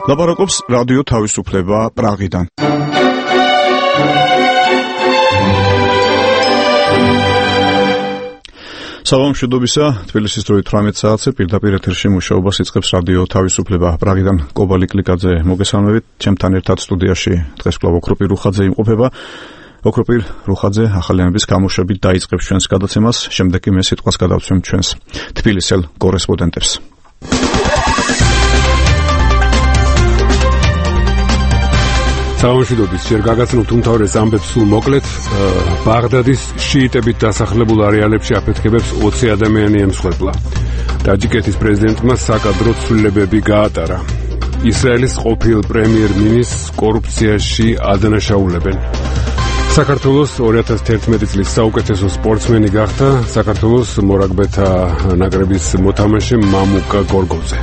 ლაპარაკობს რადიო თავისუფლება პრაღიდან. საღამოშობისა, თბილისის დროით 18 საათზე პირდაპირ ეთერში მუშაობას იწყებს რადიო თავისუფლება პრაღიდან. კობალი კლიკაძე მოგესალმებით. ჩემთან ერთად სტუდიაში დღეს კვლავ ოქროპირ რუხაძე იმყოფება. ოქროპირ რუხაძე ახალიანების გამოშვებით დაიწყებს ჩვენს გადაცემას, შემდეგ კი მე სიტყვას გადავცემ ჩვენს თბილისელ კორესპონდენტებს. საღამოშიდობის ჯერ გაგაცნობთ უმთავრეს ამბებს სულ მოკლედ. ბაღდადის შიიტებით დასახლებულ არეალებში აფეთქებებს 20 ადამიანი ემსხვერპლა. ტაჯიკეთის პრეზიდენტმა საკადრო ცვლილებები გაატარა. ისრაელის ყოფილ პრემიერ-მინისტრს კორუფციაში ადანაშაულებენ. საქართველოს 2011 წლის საუკეთესო სპორტსმენი გახდა საქართველოს მორაგბეთა ნაკრების მოთამაშე მამუკა გორგოძე.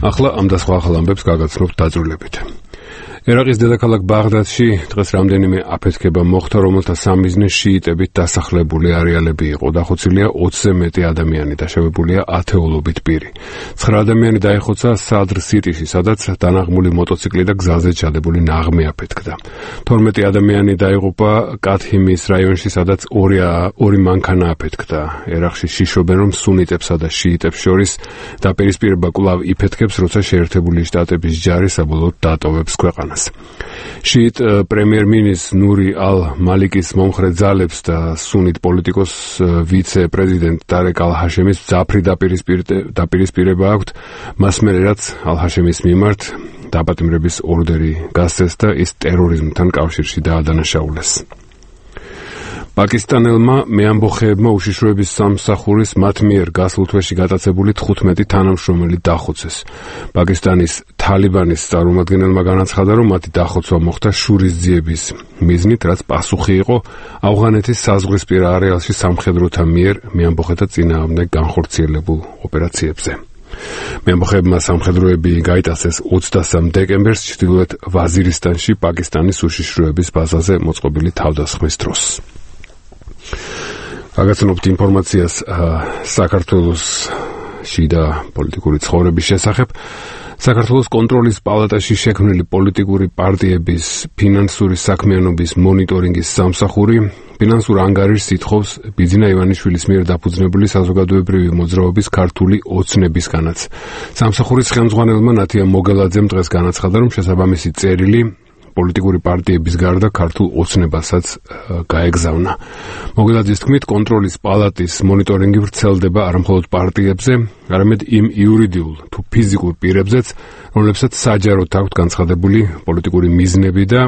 ახლა ამ და სხვა ახალ ამბებს გაგაცნობთ დაწვრილებით. ერაყის დედაქალაქ ბაღდადში დღეს რამდენიმე აფეთქება მოხდა, რომელთა სამიზნე შიიტებით დასახლებული არეალები იყო. დახოცილია 20-ზე მეტი ადამიანი, დაშავებულია ათეულობით პირი. 9 ადამიანი დაეხოცა სადრ სიტიში, სადაც დანაღმული მოტოციკლი და გზაზე ჩადებული ნაღმი აფეთქდა. 12 ადამიანი დაიღუპა კათჰიმის რაიონში, სადაც ორი მანქანა აფეთქდა. ერაყში შიშობენ, რომ სუნიტებსა და შიიტებს შორის დაპირისპირება კვლავ იფეთქებს, როცა შეერთებული შტატების ჯარი საბოლოოდ დატოვებს ქვეყანას. შიიტ პრემიერ-მინისტრ ნური ალ-მალიკის მომხრე ძალებს და სუნიტ პოლიტიკოს ვიცე-პრეზიდენტ დარეკ ალ-ჰაშემის მძაფრი დაპირისპირება აქვთ, მას მერე რაც ალ-ჰაშემის მიმართ დაპატიმრების ორდერი გასცეს და ის ტერორიზმთან კავშირში დაადანაშაულეს. პაკისტანელმა მეამბოხეებმა უშიშროების სამსახურის მათ მიერ გასულ თვეში გატაცებული 15 თანამშრომელი დახოცეს. პაკისტანის თალიბანის წარმომადგენელმა განაცხადა, რომ მათი დახოცვა მოხდა შურისძიების მიზნით, რაც პასუხი იყო ავღანეთის საზღვრისპირა არეალში სამხედროთა მიერ მეამბოხეთა წინააღმდეგ განხორციელებულ ოპერაციებზე. მეამბოხეებმა სამხედროები გაიტაცეს 23 დეკემბერს ჩრდილოეთ ვაზირისტანში პაკისტანის უშიშროების ბაზაზე მოწყობილი თავდასხმის დროს. გაგაცნობთ ინფორმაციას საქართველოს შიდა პოლიტიკური ცხოვრების შესახებ. საქართველოს კონტროლის პალატაში შექმნილი პოლიტიკური პარტიების ფინანსური საქმიანობის მონიტორინგის სამსახური ფინანსურ ანგარიშს ითხოვს ბიძინა ივანიშვილის მიერ დაფუძნებული საზოგადოებრივი მოძრაობის ქართული ოცნებისგანაც. სამსახურის ხელმძღვანელმა ნათია მოგელაძემ დღეს განაცხადა, რომ შესაბამისი წერილი პოლიტიკური პარტიების გარდა ქართულ ოცნებასაც გაეგზავნა. მოგელაძის თქმით, კონტროლის პალატის მონიტორინგი ვრცელდება არამხოლოდ პარტიებზე, არამედ იმ იურიდიულ თუ ფიზიკურ პირებზეც, რომლებსაც საჯაროდ აქვთ განცხადებული პოლიტიკური მიზნები და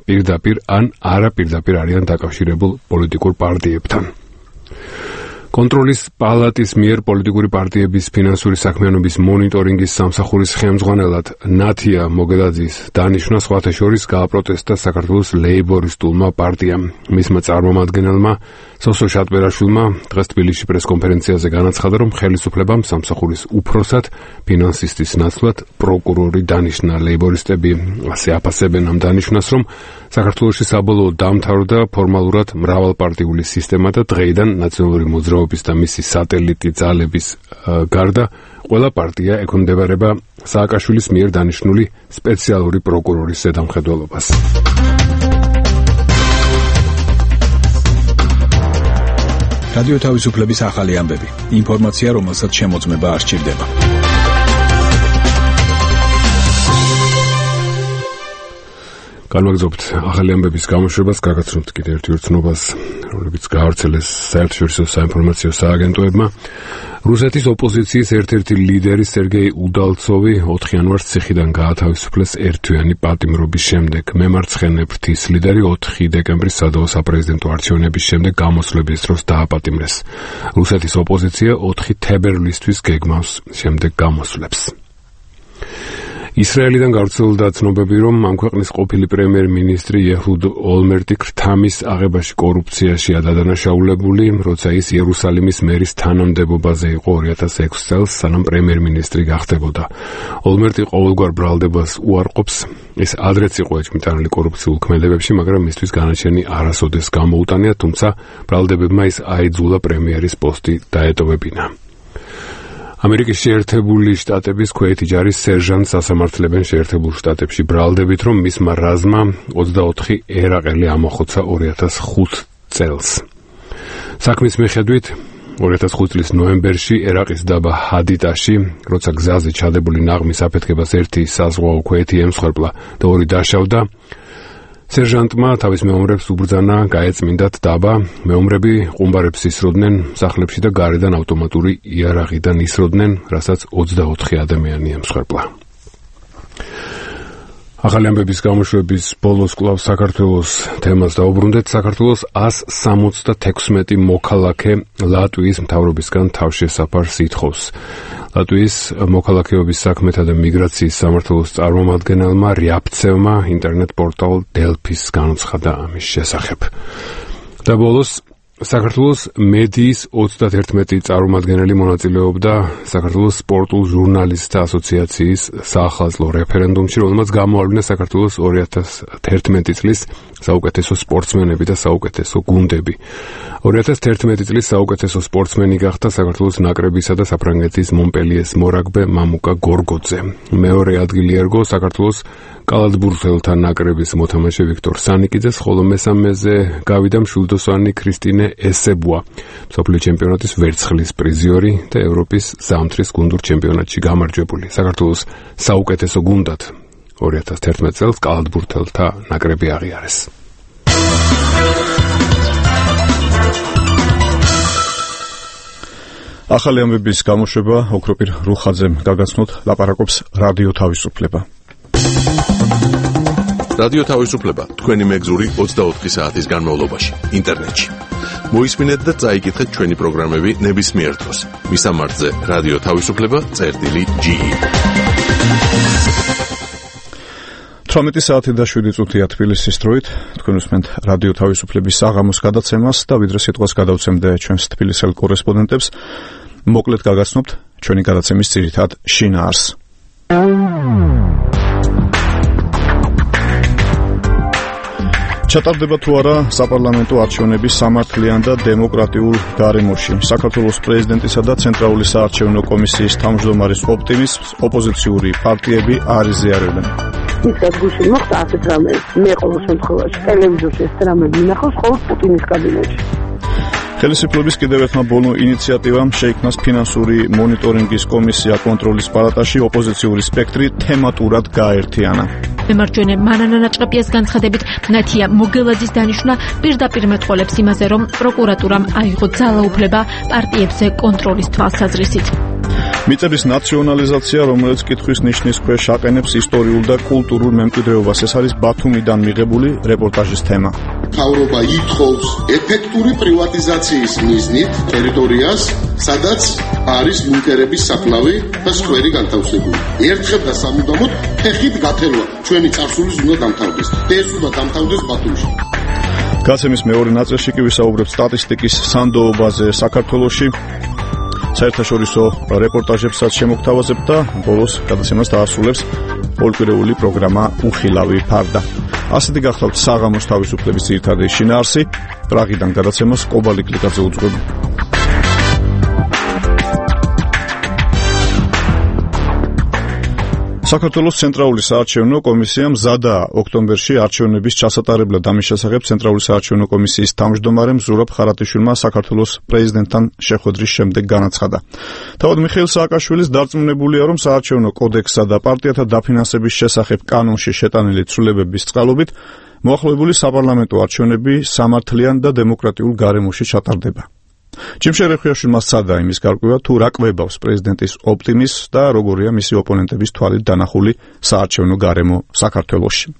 პირდაპირ ან არაპირდაპირ არიან დაკავშირებულ პოლიტიკურ პარტიებთან. კონტროლის პალატის მიერ პოლიტიკური პარტიების ფინანსური საქმიანობის მონიტორინგის სამსახურის ხელმძღვანელად ნათია მოგელაძის დანიშვნა სხვათა შორის გააპროტესტა საქართველოს ლეიბორისტულმა პარტიამ. მისმა წარმომადგენელმა სოსო შატბერაშვილმა დღეს თბილისში პრესკონფერენციაზე განაცხადა, რომ ხელისუფლებამ სამსახურის უფროსად ფინანსისტის ნაცვლად პროკურორი დანიშნა. ლეიბორისტები ასე აფასებენ ამ დანიშვნას, რომ საქართველოში საბოლოოდ დამთავრდა ფორმალურად მრავალპარტიული სისტემა და დღეიდან ნაციონალური მოძრაობის და მისი სატელიტი ძალების გარდა ყველა პარტია ექვემდებარება სააკაშვილის მიერ დანიშნული სპეციალური პროკურორის ზედამხედველობას. რადიო თავისუფლების ახალი ამბები. ინფორმაცია, რომელსაც შემოწმება არ სჭირდება. განვაგრძობთ ახალი ამბების გამოშვებას, გაგაცნობთ კიდევ ერთ უცნობას, რომლებიც გაავრცელეს საერთაშორისო საინფორმაციო სააგენტოებმა. რუსეთის ოპოზიციის ერთ-ერთი ლიდერი სერგეი უდალცოვი 4 იანვარს ციხიდან გაათავისუფლეს ერთთვიანი პატიმრობის შემდეგ. მემარცხენე ფრთის ლიდერი 4 დეკემბრის სადავო საპრეზიდენტო არჩევნების შემდეგ გამოსვლების დროს დააპატიმრეს. რუსეთის ოპოზიცია 4 თებერვლისთვის გეგმავს შემდეგ გამოსვლებს. ისრაელიდან გავრცელდა ცნობები, რომ ამ ქვეყნის ყოფილი პრემიერ-მინისტრი ეჰუდ ოლმერტი ქრთამის აღებაში კორუფციაში ადანაშაულებული, როცა ის იერუსალიმის მერის თანამდებობაზე იყო 2006 წელს, სანამ პრემიერ-მინისტრი გახდებოდა. ოლმერტი ყოველგვარ ბრალდებას უარყოფს, ის ადრეც იყო ეჭვმიტანილი კორუფციულ ქმედებებში, მაგრამ მისთვის განაჩენი არასოდეს გამოუტანია, თუმცა ბრალდებებმა ის აიძულა პრემიერის პოსტი დაეტოვებინა. ამერიკის შეერთებული შტატების ქვეითი ჯარის სერჟანტს ასამართლებენ შეერთებულ შტატებში ბრალდებით, რომ მისმა რაზმა 24 ერაყელი ამოხოცა 2005 წელს. საქმის მიხედვით 2005 წლის ნოემბერში ერაყის დაბა ჰადიტაში, როცა გზაზე ჩადებული ნაღმის აფეთქებას ერთი საზღვაო ქვეითი ემსხვერპლა და ორი დაშავდა, სერჟანტმა თავის მეომრებს უბრძანა გაეწმინდათ დაბა, მეომრები ყუმბარებს ისროდნენ სახლებში და გარედან ავტომატური იარაღიდან ისროდნენ, რასაც 24 ადამიანი ემსხვერპლა. ახალი ამბების გამოშვების ბოლოს კვლავ საქართველოს თემას დაუბრუნდეთ. საქართველოს 176 მოქალაქე ლატვიის მთავრობისგან თავშესაფარს ითხოვს. ლატვიის მოქალაქეობის საქმეთა და მიგრაციის სამმართველოს წარმომადგენელმა რიაპცევმა ინტერნეტ პორტალ დელფის განაცხადა ამის შესახებ. და ბოლოს საქართველოს მედიის 31 წარმომადგენელი მონაწილეობდა საქართველოს სპორტულ ჟურნალისტთა ასოციაციის საახალწლო რეფერენდუმში, რომელმაც გამოავლინა საქართველოს 2011 წლის საუკეთესო სპორტსმენები და საუკეთესო გუნდები. 2011 წლის საუკეთესო სპორტსმენი გახდა საქართველოს ნაკრებისა და საფრანგეთის მონპელიეს მორაგბე მამუკა გორგოძე. მეორე ადგილი ერგო საქართველოს კალათბურთელთა ნაკრების მოთამაშე ვიქტორ სანიკიძეს, ხოლო მესამეზე გავიდა მშვილდოსანი ქრისტინე ესებუა, მსოფლიო ჩემპიონატის ვერცხლის პრიზიორი და ევროპის ზამთრის გუნდურ ჩემპიონატში გამარჯვებული. საქართველოს საუკეთესო გუნდად 2011 წელს კალათბურთელთა ნაკრები აღიარეს. ახალი ამბების გამოშვება ოქროპირ რუხაძემ გაგაცნოთ, ლაპარაკობს რადიო თავისუფლება. რადიო თავისუფლება თქვენი მეგზური 24 საათის განმავლობაში ინტერნეტში. მოისმინეთ და წაიკითხეთ ჩვენი პროგრამები ნებისმიერ დროს. მისამართზე რადიო თავისუფლება.ge 18 საათი და 7 წუთია თბილისის დროით. თქვენ უსმენთ რადიო თავისუფლების საღამოს გადაცემას და ვიდრე სიტყვას გადავცემდე ჩვენს თბილისელ კორესპონდენტებს, მოკლედ გაგაცნობთ ჩვენი გადაცემის ძირითად შინაარსს. ჩატარდება თუ არა საპარლამენტო არჩევნები სამართლიან და დემოკრატიულ გარემოში. საქართველოს პრეზიდენტისა და ცენტრალური საარჩევნო კომისიის თავმჯდომარის ოპტიმიზმს ოპოზიციური პარტიები არ იზიარებენ. ისეთ გუშინ მოხდა ასეთ რამე, მე ყოველ შემთხვევაში ტელევიზორში ეს რამე მინახავს მხოლოდ პუტინის კაბინეტში. ხელისუფლების კიდევ ერთმა ბოლო ინიციატივამ შეიქმნას ფინანსური მონიტორინგის კომისია კონტროლის პალატაში, ოპოზიციური სპექტრი თემატურად გააერთიანა. მემარჯვენე მანანა ნაჭყეპიას განცხადებით, ნათია მოგელაძის დანიშვნა პირდაპირ მეტყოლებს იმაზე, რომ პროკურატურამ აიღო ძალაუფლება პარტიებზე კონტროლის თვალსაზრისით. მიწების ნაციონალიზაცია, რომელიც კითხვის ნიშნის ქვეშ აყენებს ისტორიულ და კულტურულ მემკვიდრეობას, ეს არის ბათუმიდან მიღებული რეპორტაჟის თემა. მთავრობა ითხოვს ეფექტური პრივატიზაციის მიზნით ტერიტორიას, სადაც არის ბუნკერების საფლავი და სკვერი განთავსებული. ერთხელ და სამუდამოდ ფეხით გათელვა ჩვენი წარსულის უნდა დამთავრდეს. ეს უნდა დამთავრდეს ბათუმში. გაცემის მეორე ნაწილში კი ვისაუბრებთ სტატისტიკის სანდოობაზე საქართველოში. საერთაშორისო რეპორტაჟებსაც შემოგთავაზებთ და ბოლოს გადაცემას დაასრულებს ორკვირეული პროგრამა უხილავი ფარდა. ასეთი გახლავთ საღამოს თავისუფლების ძირითადი შინაარსი. პრაღიდან გადაცემას კობალი კლიკაძე უძღვება. საქართველოს ცენტრალური საარჩევნო კომისია მზადაა ოქტომბერში არჩევნების ჩასატარებლად. ამის შესახებ ცენტრალური საარჩევნო კომისიის თავმჯდომარემ ზურაბ ხარატიშვილმა საქართველოს პრეზიდენტთან შეხვედრის შემდეგ განაცხადა. თავად მიხეილ სააკაშვილის დარწმუნებულია, რომ საარჩევნო კოდექსსა და პარტიათა დაფინანსების შესახებ კანონში შეტანილი ცვლილებების წყალობით მოახლოებული საპარლამენტო არჩევნები სამართლიან და დემოკრატიულ გარემოში ჩატარდება. ჯიმშე რეხვიაშვილმა სცადა იმის გარკვევა, თუ რა კვებავს პრეზიდენტის ოპტიმიზმს და როგორია მისი ოპონენტების თვალით დანახული საარჩევნო გარემო საქართველოში.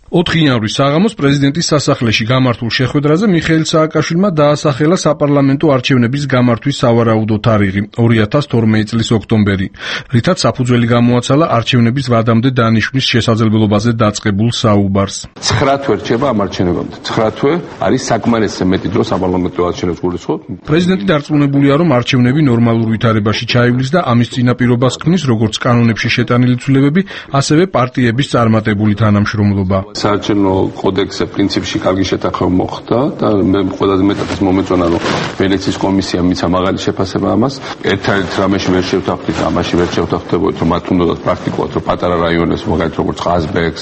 4 იანვრის საღამოს პრეზიდენტის სასახლეში გამართულ შეხვედრაზე მიხეილ სააკაშვილმა დაასახელა საპარლამენტო არჩევნების გამართვის სავარაუდო თარიღი 2012 წლის ოქტომბერი, რითაც საფუძველი გამოაცალა არჩევნების ვადამდე დანიშვნის შესაძლებლობაზე დაწყებულ საუბარს. 9 თვე რჩება ამ არჩევნებამდე. 9 თვე არის საკმარისი მეტი დრო საპარლამენტო არჩევნებს გულისხმობ. პრეზიდენტი დარწმუნებულია, რომ არჩევნები ნორმალურ ვითარებაში ჩაივლის და ამის წინაპირობას ქმნის როგორც კანონებში შეტანილი ცვლილებები, ასევე პარტიების წარმატებული თანამშრომლობა. საარჩევნო კოდექსზე პრინციპში კარგი შეთანხმება მოხდა და მე ყველაზე მეტად მომეწონა რომ ვენეციის კომისიამ მიცა მაღალი შეფასება ამას. ერთ-ერთ რამეში ვერ შევთანხმდით, ამაში ვერ შევთანხმდებოდით, რომ მათ უნდათ პრაქტიკულად რომ პატარა რაიონებს, მაგალითად როგორც ყაზბეგს,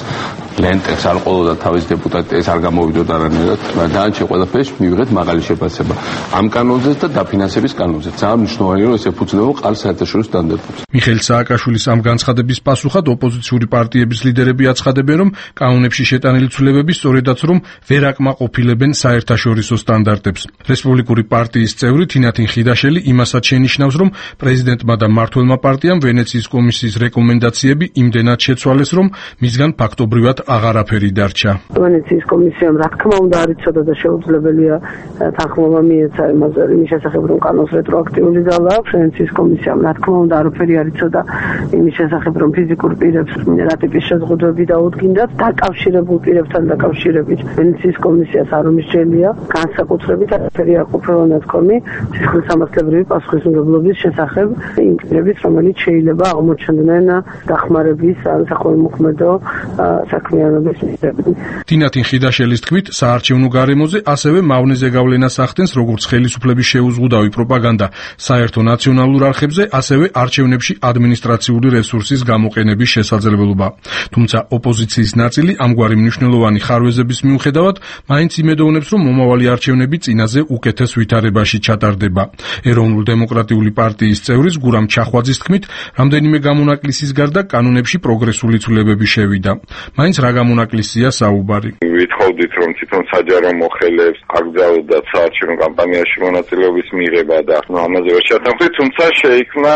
ლენტებს არ ყოლოდა თავის დეპუტატი, ეს არ გამოვიდოდა არანაირად. დანარჩენ ყველაფერში მივიღეთ მაღალი შეფასება. ამ კანონზეც და დაფინანსების კანონზეც. ძალიან მნიშვნელოვანია რომ ეს ეფუძნება ყალ საერთაშორისო სტანდარტებს. მიხეილ სააკაშვილის ამ განცხადების პასუხად ოპოზიციური პარტიების ლიდერები აცხადებენ, რომ კანონებში შეტანილი ცვლილებები სწორედაც რომ ვერ აკმაყოფილებენ საერთაშორისო სტანდარტებს. რესპუბლიკური პარტიის წევრი თინათინ ხიდაშელი იმასაც შენიშნავს, რომ პრეზიდენტმა და მმართველმა პარტიამ ვენეციის კომისიის რეკომენდაციები იმდენად შეცვალეს, რომ მისგან ფაქტობრივად აღარაფერი დარჩა. ვენეციის კომისიამ რა თქმა უნდა არ იცოდა და შეუძლებელია თანხმობა მიეცა იმის შესახებ, რომ კანონს რეტროაქტიული ძალა აქვს. ვენეციის კომისიამ რა თქმა უნდა არაფერი არ იცოდა იმის შესახებ, რომ ფიზიკურ პირებს რა ტიპის შეზღუდვები დაუდგინდათ დაკავშირებულ პირებთან დაკავშირებით. ვენეციის კომისიას არ უმისჯელია განსაკუთრებით არაფერი არ ყოფილა ნათქვამი სისხლისამართლებრივი პასუხისმგებლობის შესახებ იმ პირების, რომელიც შეიძლება აღმოჩნდნენ დახმარების ან საქველმოქმედო საქმიანობის მიზნებით. თინათინ ხიდაშელის თქმით, საარჩევნო გარემოზე ასევე მავნეზე გავლენას ახდენს როგორც ხელისუფლების შეუზღუდავი პროპაგანდა საერთო ნაციონალურ არხებზე, ასევე არჩევნებში ადმინისტრაციული რესურსის გამოყენების შესაძლებლობა. თუმცა ოპოზიციის ნაწილი ამგვარი მნიშვნელოვანი ხარვეზების მიუხედავად მაინც იმედოვნებს, რომ მომავალი არჩევნები წინაზე უკეთეს ვითარებაში ჩატარდება. ეროვნულ-დემოკრატიული პარტიის წევრის გურამ ჩახვაძის თქმით, რამდენიმე გამონაკლისის გარდა კანონებში პროგრესული ცვლილებები შევიდა. მაინც რა გამონაკლისია საუბარი? ვითხოვდით, რომ თვითონ საჯარო მოხელეებს აკრძალვდათ საარჩევნო კამპანიაში მონაწილეობის მიღება და ამაზე ვერ ჩათანხმდით, თუმცა შეიქმნა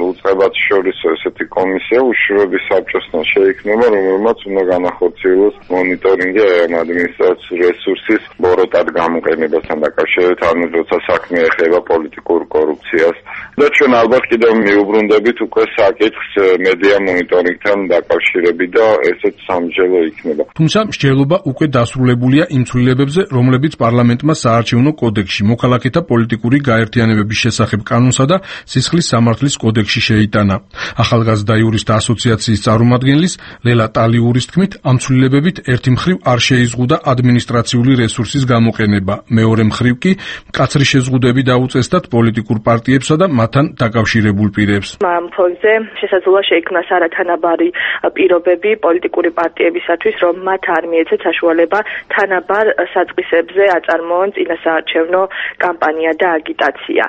უწყებათ შორის ესეთი კომისია უშუალოდ საბჭოსთან შეიქმნება, რომელმაც უნდა განახორციელოს მონიტორინგი ამ ადმინისტრაციული რესურსის ბოროტად გამოყენებასთან დაკავშირებით, ანუ როცა საქმე ეხება პოლიტიკურ კორუფციას და ჩვენ ალბათ კიდევ მიუბრუნდებით უკვე საკითხს მედია მონიტორინგთან დაკავშირებით და ესეც სამჯელო იქნება. თუმცა მსჯელობა უკვე დასრულებულია იმ ცვლილებებზე, რომლებიც პარლამენტმა საარჩევნო კოდექსში, მოქალაქეთა პოლიტიკური გაერთიანებების შესახებ კანონსა და სისხლის სამართლის კოდექსში შეიტანა. ახალგაზრდა იურისტთა ასოციაციის წარმომადგენლის ლელა ტალიურის თქმით, ამ ცვლილებებით ერთი მხრივ არ შეიზღუდა ადმინისტრაციული რესურსის გამოყენება, მეორე მხრივ კი მკაცრი შეზღუდვები დაუწესდათ პოლიტიკურ პარტიებსა და მათთან დაკავშირებულ პირებს. ამ ფონზე შესაძლოა შეიქმნას არათანაბარი პირობები პოლიტიკური პარტიებისათვის, რომ მათ არ მიეცეთ საშუალება თანაბარ საწყისებზე აწარმოონ წინასაარჩევნო კამპანია და აგიტაცია.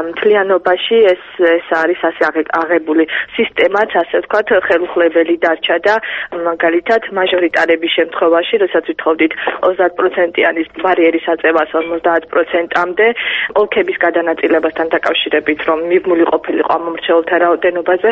მთლიანობაში ეს არის ასე აღებული სისტემაც, ასე ვთქვათ, ხელუხლებელი დარჩა და მაგალითად მაჟორიტარების შემთხვევაში, როდესაც ვითხოვდით 30%-იანი ბარიერის აწევას 50%-მდე, ოლქების გადანაწილებასთან დაკავშირებით, რომ მიბმული ყოფილიყო ამ მომრჩეველთა რაოდენობაზე,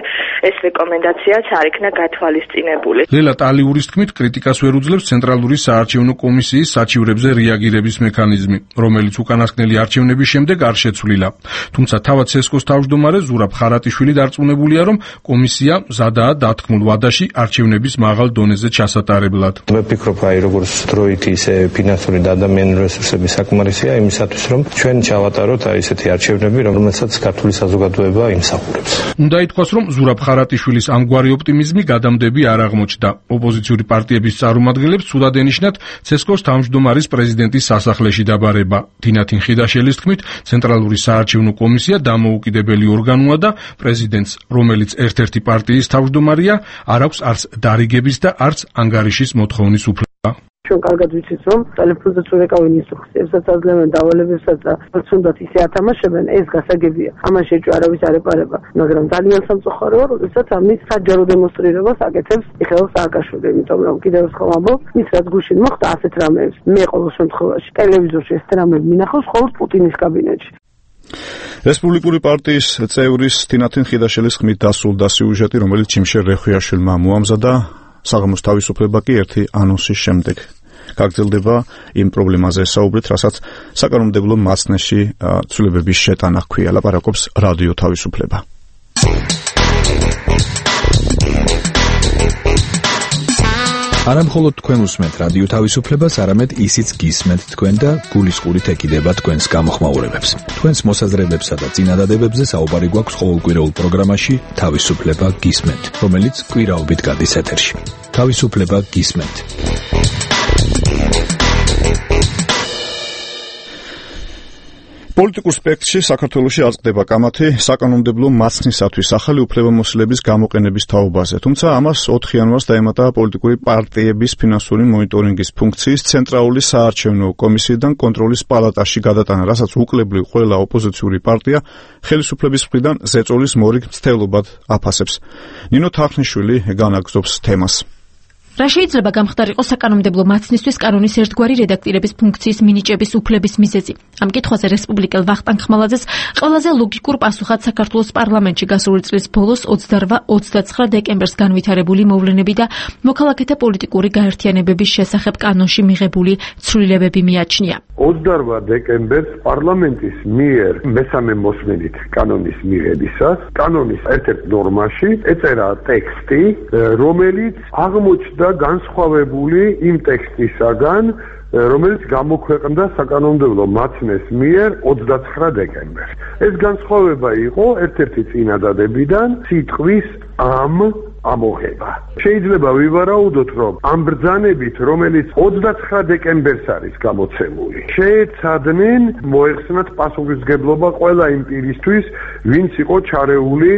ეს რეკომენდაციაც არ იქნა გათვალისწინებული. ლელა ტალიურის თქმით, კრიტიკას ვერ უძლებს ცენტრალური საარჩევნო კომისიის საჩივრებზე რეაგირების მექანიზმი, რომელიც უკანასკნელი არჩევნების შემდეგ არ შეცვლილა. თუმცა თავად სესკოს თავმჯდომარე ზურაბ ხარატიშვილი დარწმუნებულია, რომ კომისია მზადაა დათქმულ ვადაში არჩევნების მაღალ დონეზე ჩასატარებლად. მე ვფიქრობ, როგორც დროით ისე ფინანსური და ადამიანური რესურსები საკმარისია იმისათვის, რომ ჩვენ ჩავატაროთ ესეთი არჩევნები, რომელსაც ქართული საზოგადოება იმსახურებს. უნდა ითქვას, რომ ზურაბ ხარატიშვილის ამგვარი ოპტიმიზმი გადამდები არ აღმოჩნდა. ოპოზიციური პარტიების წარმომადგენლებს ცუდად ენიშნათ ცესკოს თავმჯდომარის პრეზიდენტის სასახლეში დაბარება. თინათინ ხიდაშელის თქმით, ცენტრალური საარჩევნო კომისია დამოუკიდებელი ორგანოა და პრეზიდენტს, რომელიც ერთ-ერთი პარტიის თავმჯდომარია, არ აქვს არც დარიგების და არც ანგარიშის მოთხოვნის უფლება. ჩვენ კარგად ვიცით, რომ ტელეფონზეც ურეკავენ ინსტრუქციებსაც, აძლევენ დავალებებსაც და თუნდაც ისე ათამაშებენ, ეს გასაგებია. ამაში ეჭვი არავის არ ეპარება, მაგრამ ძალიან სამწუხაროა, როდესაც ამის საჯარო დემონსტრირებას აკეთებს მიხეილ სააკაშვილი, იმიტომ რომ კიდევ ერთხელ ვამბობ, ის რაც გუშინ მოხდა ასეთ რამეებს, მე ყოველ შემთხვევაში ტელევიზორში ეს რამები მინახავს მხოლოდ პუტინის კაბინეტში. რესპუბლიკური პარტიის წევრის თინათინ ხიდაშელის ხმით დასრულდა სიუჟეტი, რომელიც ჩიმშერ რეხვიაშვილმა მოამზადა საღამოს თავისუფლება კი ერთი ანონსის შემდეგ. გაგრძელდება იმ პრობლემაზე საუბრით, რასაც საკანონმდებლო მასნეში ცვლილებების შეტანა ჰქვია, ლაპარაკობს რადიო თავისუფლება. არა მხოლოდ თქვენ უსმენთ რადიო თავისუფლებას, არამედ ისიც გისმენთ თქვენ და გულისყურით ეკიდება თქვენს გამოხმაურებებს. თქვენს მოსაზრებებსა და წინადადებებზე საუბარი გვაქვს ყოველკვირეულ პროგრამაში თავისუფლება გისმენთ, რომელიც კვირაობით გადის ეთერში. თავისუფლება გისმენთ. პოლიტიკურ სპექტრში საქართველოში აწყდება კამათი საკანონმდებლო მაცნისათვის ახალი უფლებამოსილების გამოყენების თაობაზე. თუმცა ამას 4 იანვარს დაემატა პოლიტიკური პარტიების ფინანსური მონიტორინგის ფუნქციის ცენტრალური საარჩევნო კომისიიდან კონტროლის პალატაში გადატანა, რასაც უკლებლივ ყველა ოპოზიციური პარტია ხელისუფლების მხრიდან ზეწოლის მორიგ მცდელობად აფასებს. ნინო თახნიშვილი განაგრძობს თემას. რა შეიძლება გამხდარიყო საკანონმდებლო მაცნისთვის კანონის ერთგვარი რედაქტირების ფუნქციის მინიჭების უფლების მიზეზი. ამ კითხვაზე რესპუბლიკელ ვახტანგ ხმალაძეს ყველაზე ლოგიკურ პასუხად საქართველოს პარლამენტში გასული წლის ბოლოს 28-29 დეკემბერს განვითარებული მოვლენები და მოქალაქეთა პოლიტიკური გაერთიანებების შესახებ კანონში მიღებული ცვლილებები მიაჩნია. 28 დეკემბერს პარლამენტის მიერ მესამე მოსმენით კანონის მიღებისას კანონის ერთ-ერთ ნორმაში ეწერა ტექსტი, რომელიც აღმოჩნდა განსხვავებული იმ ტექსტისაგან, რომელიც გამოქვეყნდა საკანონმდებლო მაცნეს მიერ 29 დეკემბერს. ეს განსხვავება იყო ერთ-ერთი წინადადებიდან სიტყვის ამ ამოღება. შეიძლება ვივარაუდოთ, რომ ამ ბრძანებით, რომელიც 29 დეკემბერს არის გამოცემული, შეეცადნენ მოეხსნათ პასუხისმგებლობა ყველა იმ პირისთვის, ვინც იყო ჩარეული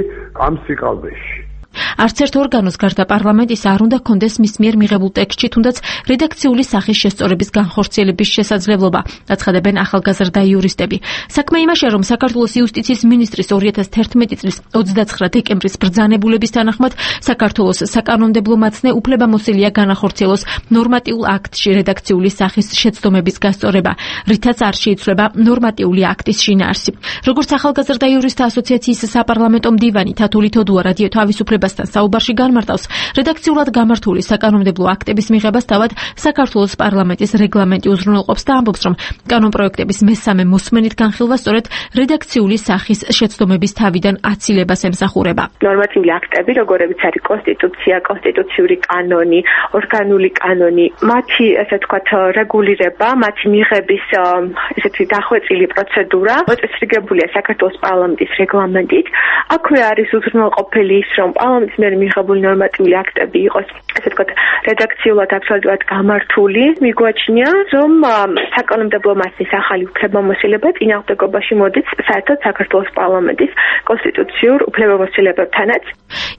ამ სიყალბეში. არც ერთ ორგანოს გარდა პარლამენტის არ უნდა კონდეს მის მიერ მიღებულ ტექსტში თუნდაც რედაქციული სახის შესწორების განხორციელების შესაძლებლობა, აცხადებენ ახალგაზრდა იურისტები. საქმე იმაშია, რომ საქართველოს იუსტიციის მინისტრის 2011 წლის 29 დეკემბრის ბრძანებულების თანახმად საქართველოს საკანონმდებლო მაცნე უფლებამოსილია განახორციელოს ნორმატიულ აქტში რედაქციული სახის შეცდომების გასწორება, რითაც არ შეიცვლება ნორმატიული აქტის შინაარსი. როგორც ახალგაზრდა იურისტთა ასოციაციის საპარლამენტო მდივანი თათული თოდუა რადიო თავისუფლება საუბარში განმარტავს, რედაქციულად გამართული საკანონმდებლო აქტების მიღებას თავად საქართველოს პარლამენტის რეგლამენტი უზრუნველყოფს და ამბობს, რომ კანონპროექტების მესამე მოსმენით განხილვა სწორედ რედაქციული სახის შეცდომების თავიდან აცილებას ემსახურება. ნორმატიული აქტები, როგორებიც არის კონსტიტუცია, კონსტიტუციური კანონი, ორგანული კანონი, მათი ესე ვთქვათ რეგულირება, მათი მიღების ესეთი დახვეწილი პროცედურა მოწესრიგებულია საქართველოს პარლამენტის რეგლამენტით. აქვე არის უზრუნველყოფილი ის, რომ პარლამენტის მიერ მიღებული ნორმატიული აქტები იყოს, ესე ვთქვათ, რედაქციულად აბსოლუტურად გამართული. მიგვაჩნია, რომ საკანონმდებლო მაცნის ახალი უფლებამოსილება წინააღმდეგობაში მოდის საერთოდ საქართველოს პარლამენტის კონსტიტუციურ უფლებამოსილებებთანაც.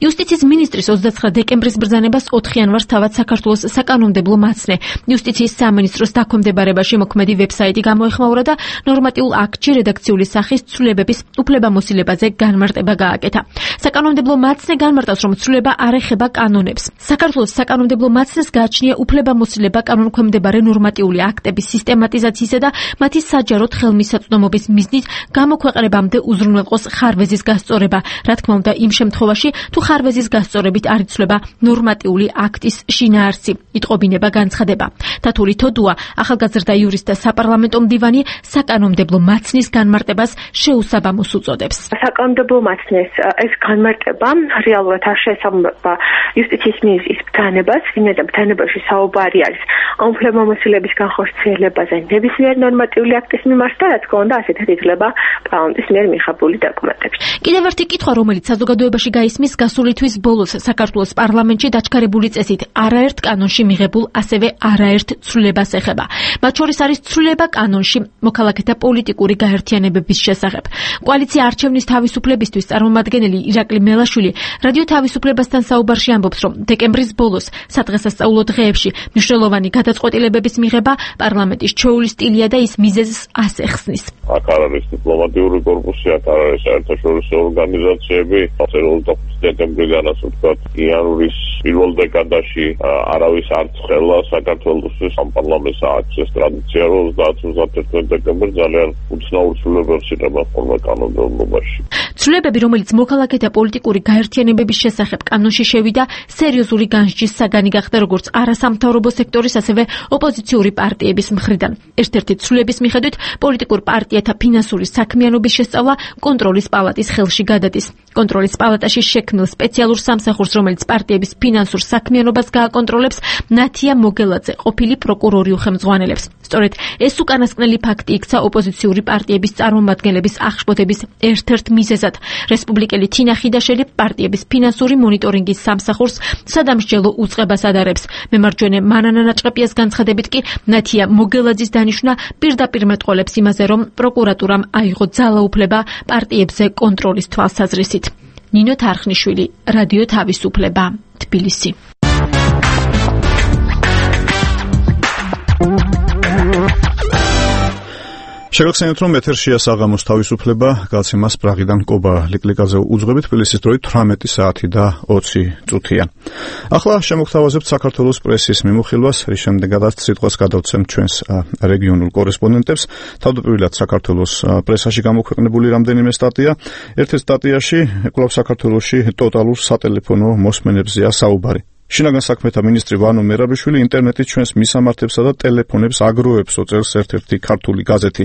იუსტიციის მინისტრის 29 დეკემბრის ბრძანებას 4 იანვარს თავად საქართველოს საკანონმდებლო მაცნე იუსტიციის სამინისტროს დაქვემდებარებაში მოქმედი ვებსაიტი გამოეხმაურა და ნორმატიულ აქტში რედაქციული სახის ცვლილებების უფლებამოსილებაზე განმარტება გააკეთა. საკანონმდებლო მაცნე განმარტავს, რომ ცვლილება არ ეხება კანონებს. საქართველოს საკანონმდებლო მაცნეს გააჩნია უფლებამოსილება კანონქვემდებარე ნორმატიული აქტების სისტემატიზაციისა და მათი საჯაროდ ხელმისაწვდომობის მიზნით გამოქვეყნებამდე უზრუნველყოს ხარვეზის გასწორება. რა თქმა უნდა, იმ შემთხვევაში, თუ ხარვეზის გასწორებით არ იცვლება ნორმატიული აქტის შინაარსი, იტყობინება განცხადება. თათული თოდუა, ახალგაზრდა იურისტთა საპარლამენტო მდივანი, საკანონმდებლო მაცნის განმარტებას შეუსაბამოს უწოდებს. საკანონმდებლო მაცნეს ეს განმარტება რეალურად არ შეესაბამება იუსტიციის მინისტრის ბრძანებას, ვინაიდან ბრძანებაში საუბარი არის ამ უფლებამოსილების განხორციელებაზე ნებისმიერ ნორმატიული აქტის მიმართ და რა თქმა უნდა ასეთად ითვლება პარლამენტის მიერ მიღებული დოკუმენტებში. კიდევ ერთი კითხვა, რომელიც საზოგადოებაში გაისმის გასული თვის ბოლოს საქართველოს პარლამენტში დაჩქარებული წესით არაერთ კანონში მიღებულ, ასევე არაერთ ცვლილებას ეხება. მათ შორის არის ცვლილება კანონში მოქალაქეთა პოლიტიკური გაერთიანებების შესახებ. კოალიცია არჩევნის თავისუფლებისთვის წარმომადგენელი ირაკლი მელაშვილი რადიო თავისუფლებასთან საუბარში ამბობს, რომ დეკემბრის ბოლოს სადღესასწაულო დღეებში მნიშვნელოვანი გადაწყვეტილებების მიღება პარლამენტის ჩვეული სტილია და ის მიზეზს ასახსნის. აქ არ არის დიპლომატიური კორპუსი, აქ არ არის საერთაშორისო ორგანიზაციები, დეკემბრიდან ასე ვთქვათ, იანვრის პირველ დეკადაში არავის არ ცხელა საქართველოს ამ პარლამენტს აქვს ეს ტრადიცია, რომ 30-31 დეკემბერს ძალიან უცნაურ ცვლილებებს იღება ხოლმე კანონმდებლობაში. ცვლილებები, რომელიც მოქალაქეთა პოლიტიკური გაერთიანებების შესახებ კანონში შევიდა, სერიოზული განსჯის საგანი გახდა როგორც არასამთავრობო სექტორის, ასევე ოპოზიციური პარტიების მხრიდან. ერთ-ერთი ცვლილების მიხედვით პოლიტიკურ პარტიათა ფინანსური საქმიანობის შესწავლა კონტროლის პალატის ხელში გადადის. კონტროლის პალატაში შექმნილ სპეციალურ სამსახურს, რომელიც პარტიების ფინანსურ საქმიანობას გააკონტროლებს, ნათია მოგელაძე ყოფილი პროკურორი უხელმძღვანელებს. სწორედ ეს უკანასკნელი ფაქტი იქცა ოპოზიციური პარტიების წარმომადგენლების აღშფოთების ერთ-ერთ მიზეზად. რესპუბლიკელი თინა ხიდაშელი პარტიების ფინანსური მონიტორინგის სამსახურს სადამსჯელო უწყებას ადარებს. მემარჯვენე მანანა ნაჭყეპიას განცხადებით კი ნათია მოგელაძის დანიშვნა პირდაპირ მეტყოლებს იმაზე, რომ პროკურატურამ აიღო ძალაუფლება პარტიებზე კონტროლის თვალსაზრისით. ნინო თარხნიშვილი, რადიო თავისუფლება, თბილისი. შეგახსენებთ, რომ ეთერშია საღამოს თავისუფლება, გაცემას პრაღიდან კობა ლიკლიკაძე უძღვებით, თბილისის დროით 18 საათი და 20 წუთია. ახლა შემოგთავაზებთ საქართველოს პრესის მიმოხილვას, რის შემდეგაც სიტყვას გადავცემთ ჩვენს რეგიონულ კორესპონდენტებს. თავდაპირველად საქართველოს პრესაში გამოქვეყნებული რამდენიმე სტატია. ერთ-ერთ სტატიაში კვლავ საქართველოში ტოტალურ სატელეფონო მოსმენებზეა საუბარი. შინაგან საქმეთა მინისტრი ვანო მერაბიშვილი ინტერნეტით ჩვენს მისამართებსა და ტელეფონებს აგროვებს, წერს ერთ-ერთი ქართული გაზეთი.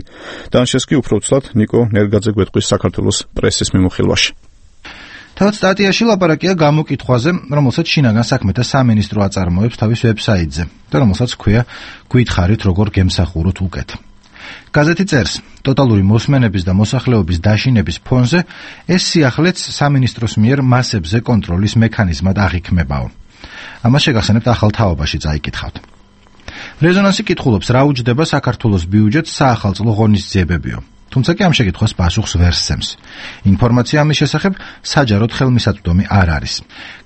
დანაშეს კი უფრო ცუდად ნიკო ნერგაძე გვეტყვის საქართველოს პრესის მიმოხილვაში. თავად სტატიაში ლაპარაკია გამოკითხვაზე, რომელსაც შინაგან საქმეთა სამინისტრო აწარმოებს თავის ვებსაიტზე და რომელსაც ჰქვია გვითხარით როგორ გემსახუროთ უკეთ. გაზეთი წერს, ტოტალური მოსმენების და მოსახლეობის დაშინების ფონზე ეს სიახლეც სამინისტროს მიერ მასებზე კონტროლის მექანიზმად აღიქმებაო. ამას შეგახსენებთ ახალ თაობაში წაიკითხავთ. რეზონანსი კითხულობს, რა უჯდება საქართველოს ბიუჯეტს საახალწლო ღონისძიებებიო. თუმცა კი ამ შეკითხვას პასუხს ვერ სცემს. ინფორმაცია ამის შესახებ საჯაროდ ხელმისაწვდომი არ არის.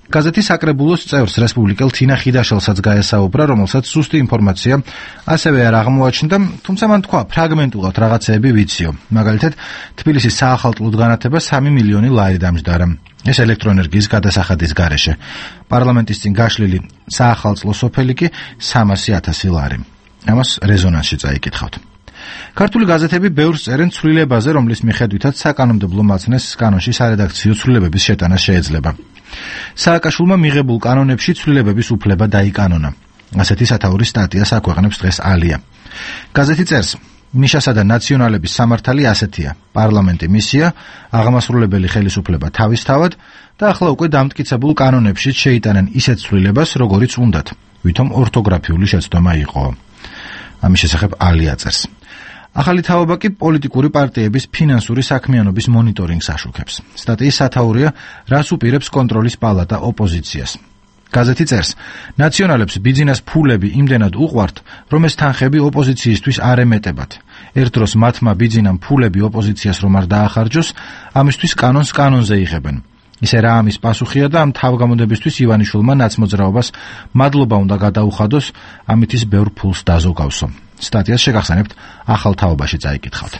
გაზეთი საკრებულოს წევრს რესპუბლიკელ თინა ხიდაშელსაც გაესაუბრა, რომელსაც სუსტი ინფორმაცია ასევე არ აღმოაჩნდა, თუმცა მან თქვა, ფრაგმენტულად რაღაცეები ვიციო. მაგალითად, თბილისის საახალწლოდ განათება 3 მილიონი ლარი დამჯდარა. ეს ელექტროენერგიის გადასახადის გარეშე. პარლამენტის წინ გაშლილი საახალწლო სოფელი კი 300,000 ლარი. ამას რეზონანსში წაიკითხავთ. ქართული გაზეთები ბევრს წერენ ცვლილებაზე, რომლის მიხედვითაც საკანონმდებლო მაცნეს კანონში სარედაქციო ცვლილებების შეტანა შეიძლება. სააკაშვილმა მიღებულ კანონებში ცვლილებების უფლება დაიკანონა. ასეთი სათაურის სტატიას აქვეყნებს დღეს ალია. გაზეთი წერს, მიშასა და ნაციონალების სამართალი ასეთია. პარლამენტი მისია, აღმასრულებელი ხელისუფლება თავისთავად და ახლა უკვე დამტკიცებულ კანონებში შეიტანენ ისეთ ცვლილებას, როგორიც უნდათ, ვითომ ორთოგრაფიული შეცდომა იყო. ამის შესახებ ალია წერს. ახალი თაობა კი პოლიტიკური პარტიების ფინანსური საქმიანობის მონიტორინგს აშუქებს. სტატიის სათაურია, რას უპირებს კონტროლის პალატა ოპოზიციას. გაზეთი წერს, ნაციონალებს ბიძინას ფულები იმდენად უყვართ, რომ ეს თანხები ოპოზიციისთვის არ ემეტებათ. ერთ დროს მათმა ბიძინამ ფულები ოპოზიციას რომ არ დაახარჯოს, ამისთვის კანონს კანონზე იღებენ. ისე რა ამის პასუხია და ამ თავგამოდებისთვის ივანიშვილმა ნაცმოძრაობას მადლობა უნდა გადაუხადოს, ამით ის ბევრ ფულს დაზოგავსო. სტატიას შეგახსენებთ ახალ თაობაში წაიკითხავთ.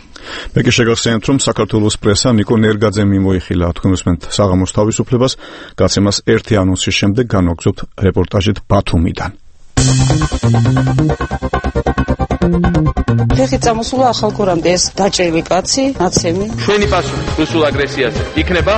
მე კი შეგახსენებთ, რომ საქართველოს პრესა ნიკო ნერგაძე მიმოიხილა თქვენსმენთ საღამოს თავისუფლებას, გაცემას ერთი ანონსის შემდეგ განვაგრძობთ რეპორტაჟით ბათუმიდან. ფეხი წამოსულა ახალგორამდე ეს დაჭრილი კაცი, ნაცემი. ჩვენი პასუხი რუსულ აგრესიაზე იქნება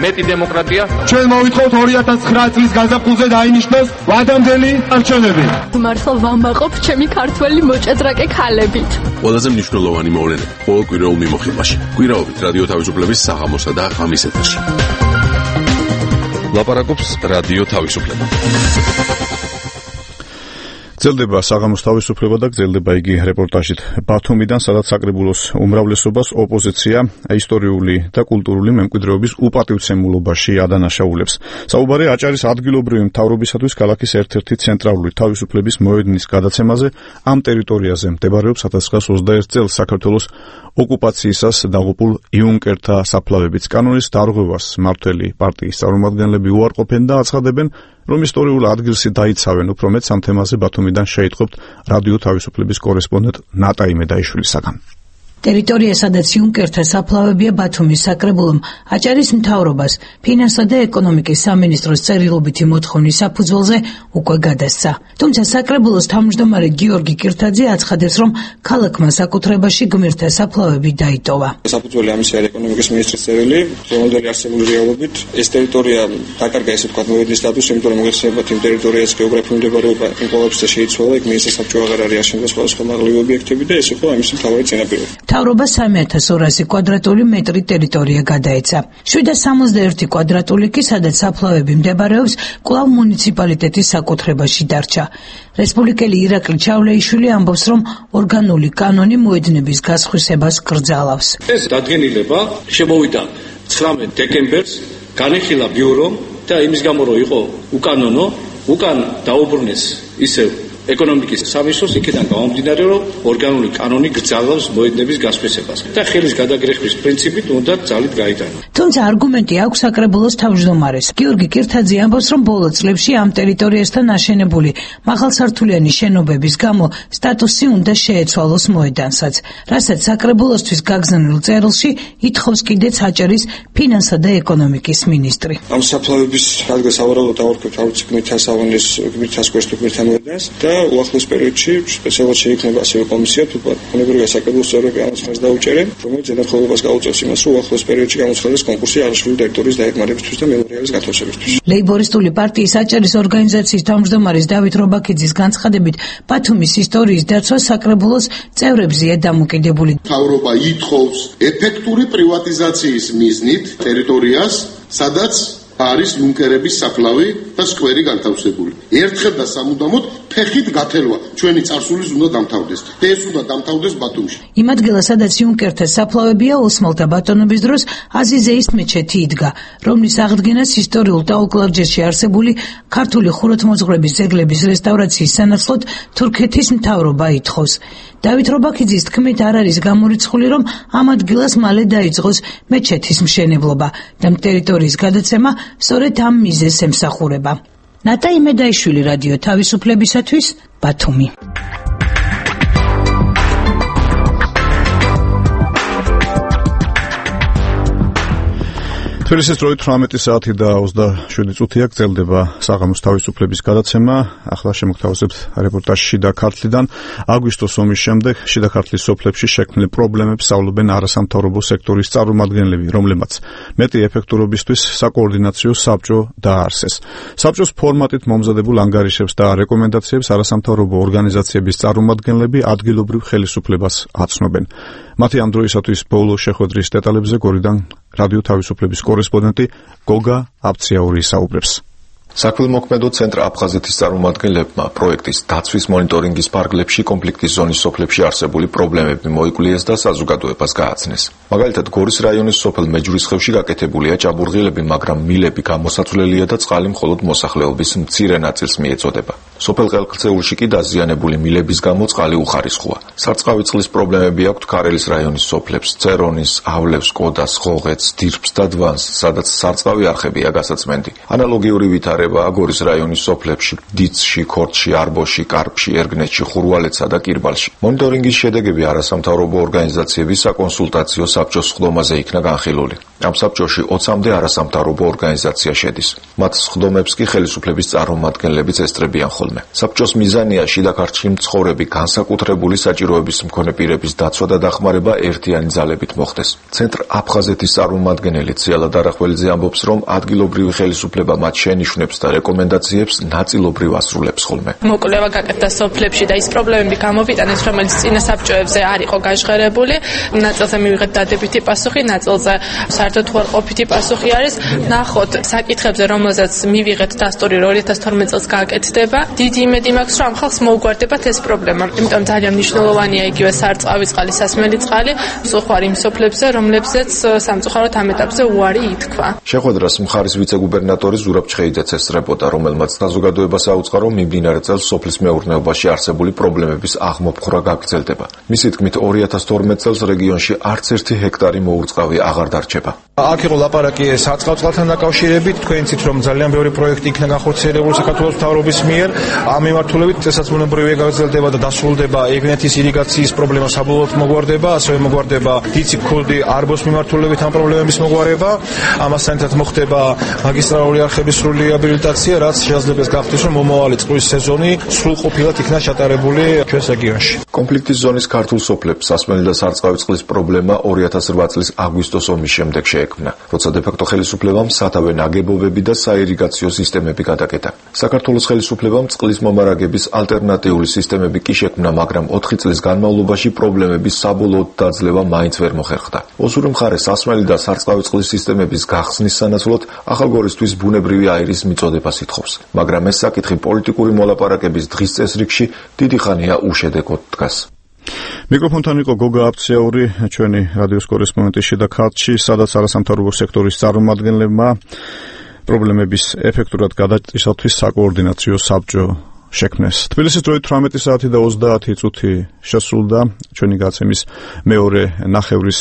მეტი დემოკრატია. ჩვენ მოვითხოვთ 2009 წლის გაზაფხულზე დაინიშნოს ვადამდელი არჩევნები. მართლა ვამაყობ ჩემი ქართველი მოჭადრაკე ქალებით. ყველაზე მნიშვნელოვანი მოვლენები ყოველ კვირაულ მიმოხილვაში. კვირაობით რადიო თავისუფლების საღამოსა და ღამის ეთერში. ლაპარაკობს რადიო თავისუფლება. გრძელდება საღამოს თავისუფლება და გრძელდება იგი რეპორტაჟით ბათუმიდან, სადაც საკრებულოს უმრავლესობას ოპოზიცია ისტორიული და კულტურული მემკვიდრეობის უპატივცემულობაში ადანაშაულებს. საუბარი აჭარის ადგილობრივი მთავრობისათვის ქალაქის ერთ-ერთი ცენტრალური თავისუფლების მოედნის გადაცემაზე. ამ ტერიტორიაზე მდებარეობს 1921 წელს საქართველოს ოკუპაციისას დაღუპულ იუნკერთა საფლავებიც. კანონის დარღვევას მმართველი პარტიის წარმომადგენლები უარყოფენ და აცხადებენ, რომ ისტორიულ ადგილში დაიცავენ. უფრო მეტ ამ თემაზე ბათუმიდან შეიტყობთ რადიო თავისუფლების კორესპონდენტ ნატაი მედაიშვილისაგან. ტერიტორია, სადაც იუნკერთა საფლავებია, ბათუმის საკრებულომ აჭარის მთავრობას ფინანსთა და ეკონომიკის სამინისტროს წერილობითი მოთხოვნის საფუძველზე უკვე გადასცა. თუმცა საკრებულოს თავმჯდომარე გიორგი კირთაძე აცხადებს, რომ ქალაქმა საკუთრებაში გმირთა საფლავები დაიტოვა. საფუძველი ამისა არის ეკონომიკის მინისტრის წერილი, რომელდელი არსებული რეალობით ეს ტერიტორია დაკარგა, ესე ვთქვათ, მოედნის სტატუსი, იმიტომ რომ მოიხსენებათ იმ ტერიტორიას გეოგრაფიული მდებარეობა იმ ყოველთვის შეიცვალა, იქ მინისტრის საბჭო აღარ არის აშენდა სხვადასხვა მაღლივი ობიექტები და ეს იყო ამის მთავარი წინაპირობა. მთავრობა 3200 კვადრატული მეტრი ტერიტორია გადაეცა. 761 კვადრატული კი, სადაც საფლავები მდებარეობს, კვლავ მუნიციპალიტეტის საკუთრებაში დარჩა. რესპუბლიკელი ირაკლი ჩავლეიშვილი ამბობს, რომ ორგანული კანონი მოედნების გასხვისებას კრძალავს. ეს დადგენილება შემოვიდა 19 დეკემბერს, განიხილა ბიურომ და იმის გამო რომ იყო უკანონო, უკან დაუბრუნეს ისევ ეკონომიკის სამინისტროს, იქიდან გამომდინარე, რომ ორგანული კანონი გრძალავს მოედნების გასხვისებას და ხელის გადაგრეხვის პრინციპით უნდა ძალით გაიტანა. თუმცა არგუმენტი აქვს საკრებულოს თავმჯდომარეს. გიორგი კირთაძე ამბობს, რომ ბოლო წლებში ამ ტერიტორიასთან აშენებული მაღალსართულიანი შენობების გამო სტატუსი უნდა შეეცვალოს მოედანსაც, რასაც საკრებულოსთვის გაგზავნილ წერილში ითხოვს კიდეც აჭარის ფინანსა და ეკონომიკის მინისტრი. ამ საფლავების ადგილს სავარაუდოდ დავარქვით გმირთა სავანის, გმირთა სკვერს თუ გმირთა მოედანს და უახლოს პერიოდში სპეციალურად შეიქმნება ასევე კომისია თუ ბუნებრივია საკრებულოს წევრები ამას ხარს დაუჭერენ, რომელიც ზედამხედველობას გაუწევს იმას, რომ უახლოს პერიოდში გამოცხადდეს კონკურსი აღნიშნული ტერიტორიის დაეხმარებისთვის და მემორიალის განთავსებისთვის. ლეიბორისტული პარტიის აჭარის ორგანიზაციის თავმჯდომარის დავით რობაქიძის განცხადებით, ბათუმის ისტორიის დაცვა საკრებულოს წევრებზეა დამოკიდებული. მთავრობა ითხოვს ეფექტური პრივატიზაციის მიზნით ტერიტორიას, სადაც არის ლუნკერების საფლავი და სკვერი განთავსებული. ერთხელ და სამუდამოდ ფეხით გათელვა ჩვენი წარსულის უნდა დამთავრდეს. ეს უნდა დამთავრდეს ბათუმში. იმ ადგილას, სადაც იუნკერთა საფლავებია, ოსმალთა ბატონობის დროს აზიზეის მეჩეთი იდგა, რომლის აღდგენას ისტორიულ ტაოკლარჯეთში არსებული ქართული ხუროთმოძღვრების ძეგლების რესტავრაციის სანაცვლოდ თურქეთის მთავრობა ითხოვს. დავით რობაქიძის თქმით, არ არის გამორიცხული, რომ ამ ადგილას მალე დაიწყოს მეჩეთის მშენებლობა და ტერიტორიის გადაცემა სწორედ ამ მიზეზს ემსახურება. ნატა იმედაიშვილი, რადიო თავისუფლებისათვის, ბათუმი. თბილისის დროით 18 საათი და 27 წუთია გრძელდება საღამოს თავისუფლების გადაცემა. ახლა შემოგთავაზებთ რეპორტაჟი შიდა ქართლიდან. აგვისტოს ომის შემდეგ შიდა ქართლის სოფლებში შექმნილ პრობლემებს სწავლობენ არასამთავრობო სექტორის წარმომადგენლები, რომლებმაც მეტი ეფექტურობისთვის საკოორდინაციო საბჭო დააარსეს. საბჭოს ფორმატით მომზადებულ ანგარიშებს და რეკომენდაციებს არასამთავრობო ორგანიზაციების წარმომადგენლები ადგილობრივ ხელისუფლებას აცნობენ. მათი ამ დროისათვის ბოლო შეხვედრის დეტალებზე გორიდან რადიო თავისუფლების კორესპონდენტი გოგა აბციაური საუბრებს. საქველმოქმედო ცენტრ აფხაზეთის წარმომადგენლებმა პროექტის დაცვის მონიტორინგის ფარგლებში კონფლიქტის ზონის სოფლებში არსებული პრობლემები მოიკვლიეს და საზოგადოებას გააცნეს. მაგალითად, გორის რაიონის სოფელ მეჯვრისხევში გაკეთებულია ჭაბურღილები, მაგრამ მილები გამოსაცვლელია და წყალი მხოლოდ მოსახლეობის მცირე ნაწილს მიეწოდება. სოფელ ყელქცეულში კი დაზიანებული მილების გამო წყალი უხარისხოა. სარწყავი წყლის პრობლემები აქვს ქარელის რაიონის სოფლებს, წერონის, ავლევს, კოდას, ხოღეთს, დირბს და დვანს, სადაც სარწყავი არხებია გასაწმენდი. ანალოგიური ვითარებაა გორის რაიონის სოფლებში, დიცში, ქორდში, არბოში, კარპში, ერგნეთში, ხურვალეთსა და კირბალში. მონიტორინგის შედეგები არასამთავრობო ორგანიზაციების საკონსულტაციო საბჭოს სხდომაზე იქნა განხილული. ამ საბჭოში 20-მდე არასამთავრობო ორგანიზაცია შედის. მათ სხდომებს კი ხელისუფლების წარმომადგენლებიც ესწრებიან ხოლმე. საბჭოს მიზანია შიდა ქართლში მცხოვრები განსაკუთრებული საჭიროების მქონე პირების დაცვა და დახმარება ერთიანი ძალებით მოხდეს. ცენტრ აფხაზეთის წარმომადგენელი ციალად არახველიძე ამბობს, რომ ადგილობრივი ხელისუფლება მათ შენიშვნებს და რეკომენდაციებს ნაწილობრივ ასრულებს ხოლმე. მოკვლევა გაკეთდა სოფლებში და ის პრობლემები გამოვიტანეს, რომელიც წინა საბჭოებზე არ იყო გაჟღერებული. ნაწილზე მივიღეთ დადებითი პასუხი, ნაწილზე საერთოდ უარყოფითი პასუხი არის. ნახოთ საკითხებზე, რომელზეც მივიღეთ დასტური 2012 წელს გააკეთდება. დიდი იმედი მაქვს, რომ ამ ხალხს მოუგვარდებათ ეს პრობლემა. იმიტომ ძალიან მნიშვნელოვანია იგივე სარწყავი წყალი, სასმელი წყალი, მსუხვარი იმ სოფლებზე, რომლებზეც სამწუხაროდ ამ ეტაპზე უარი ითქვა. შეხვედრას მხარის ვიცე-გუბერნატორი ზურაბ ჩხეიძეც ესწრებოდა, რომელმაც საზოგადოებას აუწყა, რომ მიმდინარე წელს სოფლის მეურნეობაში არსებული პრობლემების აღმოფხვრა გაგრძელდება. მისი თქმით, 2012 წელს რეგიონში არც ერთი ჰექტარი მოურწყავი აღარ დარჩება. აქ იყო ლაპარაკი სარწყავ წყალთან დაკავშირებით, თქვენ იცით, რომ ძალიან ბევრი პროექტი იქნა განხორციელებული საქართველოს მთავრობის მიერ. ამ მიმართულებით წესასწაულებრივი გაგრძელდება და დასრულდება ეგნეთის ირიგაციის პრობლემა საბოლოოდ მოგვარდება, ასევე მოგვარდება დიცი, ქოლდი, არბოს მიმართულებით ამ პრობლემების მოგვარება. ამასთან ერთად მოხდება მაგისტრალური არხების სრული რეაბილიტაცია, რაც შესაძლებელი გახდეს, რომ მომავალი წყლის სეზონი სრულყოფილად იქნა ჩატარებული ჩვენს რეგიონში. კონფლიქტის ზონის ქართულ სოფლებს სასმელი და სარწყავი წყლის პრობლემა 2008 წლის აგვისტოს ომის შემდეგ შეექმნა, როცა დე-ფაქტო ხელისუფლებამ სათავე ნაგებობები და საირიგაციო სისტემები გადაკეტა. საქართველოს ხელისუფლებამ წყლის მომარაგების ალტერნატიული სისტემები კი შექმნა, მაგრამ 4 წლის განმავლობაში პრობლემების საბოლოოდ დაძლევა მაინც ვერ მოხერხდა. ოსური მხარე სასმელი და სარწყავი წყლის სისტემების გახსნის სანაცვლოდ ახალგორისთვის ბუნებრივი აირის მიწოდებას ითხოვს, მაგრამ ეს საკითხი პოლიტიკური მოლაპარაკების დღის წესრიგში დიდი ხანია უშედეგოდ დგას. მიკროფონთან იყო გოგა აფციაური, ჩვენი რადიოს კორესპონდენტი შიდა ქართლში, სადაც არასამთავრობო სექტორის წარმომადგენლებმა პრობლემების ეფექტურად გადაწყვეტისათვის საკოორდინაციო საბჭო შექმნეს. თბილისის დროით 18 საათი და 30 წუთი შესრულდა ჩვენი გაცემის მეორე ნახევრის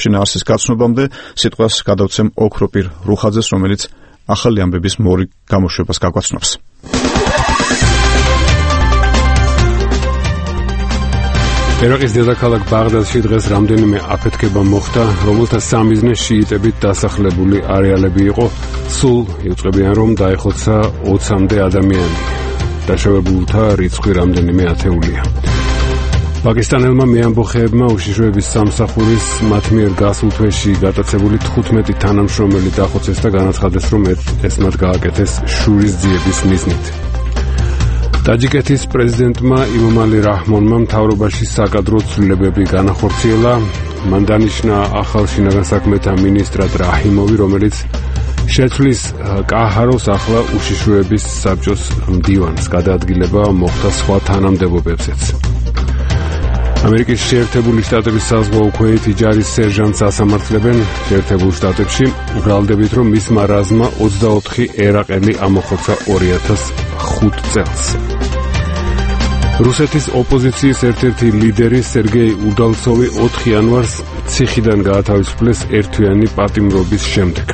შინაარსის გაცნობამდე. სიტყვას გადავცემ ოქროპირ რუხაძეს, რომელიც ახალი ამბების მორიგ გამოშვებას გაგვაცნობს. ერაყის დედაქალაქ ბაღდადში დღეს რამდენიმე აფეთქება მოხდა, რომელთა სამიზნე შიიტებით დასახლებული არეალები იყო. სულ იუწყებიან, რომ დაეხოცა 20-მდე ადამიანი. დაშავებულთა რიცხვი რამდენიმე ათეულია. პაკისტანელმა მეამბოხეებმა უშიშროების სამსახურის მათ მიერ გასულ თვეში გატაცებული 15 თანამშრომელი დახოცეს და განაცხადეს, რომ ეს მათ გააკეთეს შურის ძიების მიზნით. ტაჯიკეთის პრეზიდენტმა იმომალი რაჰმონმა მთავრობაში საკადრო ცვლილებები განახორციელა. მან დანიშნა ახალ შინაგან საქმეთა მინისტრად რაჰიმოვი, რომელიც შეცვლის კაჰაროს ახლა უშიშროების საბჭოს მდივანს. გადაადგილება მოხდა სხვა თანამდებობებზეც. ამერიკის შეერთებული შტატების საზღვაო ქვეითი ჯარის სერჟანტს ასამართლებენ შეერთებულ შტატებში, ბრალდებით, რომ მისმა რაზმმა 24 ერაყელი ამოხოცა 2005 წელს. რუსეთის ოპოზიციის ერთ-ერთი ლიდერი სერგეი უდალცოვი 4 იანვარს ციხიდან გაათავისუფლეს ერთთვიანი პატიმრობის შემდეგ.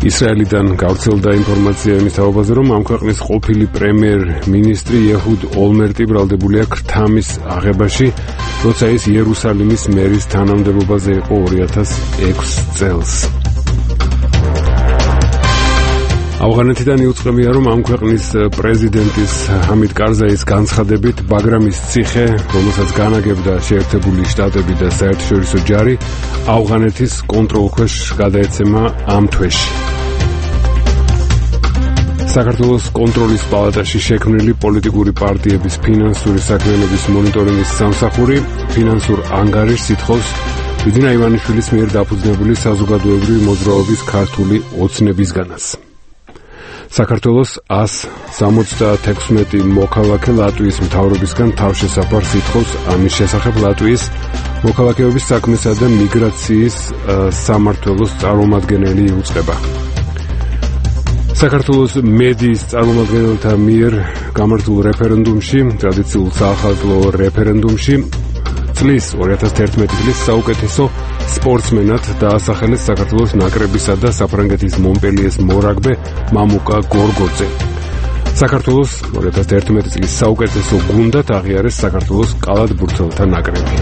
ისრაელიდან გავრცელდა ინფორმაცია იმის თაობაზე, რომ ამ ქვეყნის ყოფილი პრემიერ-მინისტრი ეჰუდ ოლმერტი ბრალდებულია ქრთამის აღებაში, როცა ის იერუსალიმის მერის თანამდებობაზე იყო 2006 წელს. ავღანეთიდან იუწყებია, რომ ამ ქვეყნის პრეზიდენტის ჰამიდ კარზაის განცხადებით ბაგრამის ციხე, რომელსაც განაგებდა შეერთებული შტატები და საერთაშორისო ჯარი, ავღანეთის კონტროლქვეშ გადაეცემა ამ თვეში. საქართველოს კონტროლის პალატაში შექმნილი პოლიტიკური პარტიების ფინანსური საქმიანობის მონიტორინგის სამსახური ფინანსურ ანგარიშს ითხოვს ბიძინა ივანიშვილის მიერ დაფუძნებული საზოგადოებრივი მოძრაობის ქართული ოცნებისგანაც. საქართველოს 176 მოქალაქე ლატვიის მთავრობისგან თავშესაფარს ითხოვს ამის შესახებ ლატვიის მოქალაქეობის საქმესა და მიგრაციის სამმართველოს წარმომადგენელი იუწყება. საქართველოს მედიის წარმომადგენელთა მიერ გამართულ რეფერენდუმში, ტრადიციულ საახალწლო რეფერენდუმში, წლის 2011 წლის საუკეთესო სპორტსმენად დაასახელეს საქართველოს ნაკრებისა და საფრანგეთის მონპელიეს მორაგბე მამუკა გორგოძე. საქართველოს 2011 წლის საუკეთესო გუნდად აღიარეს საქართველოს კალათბურთელთა ნაკრები.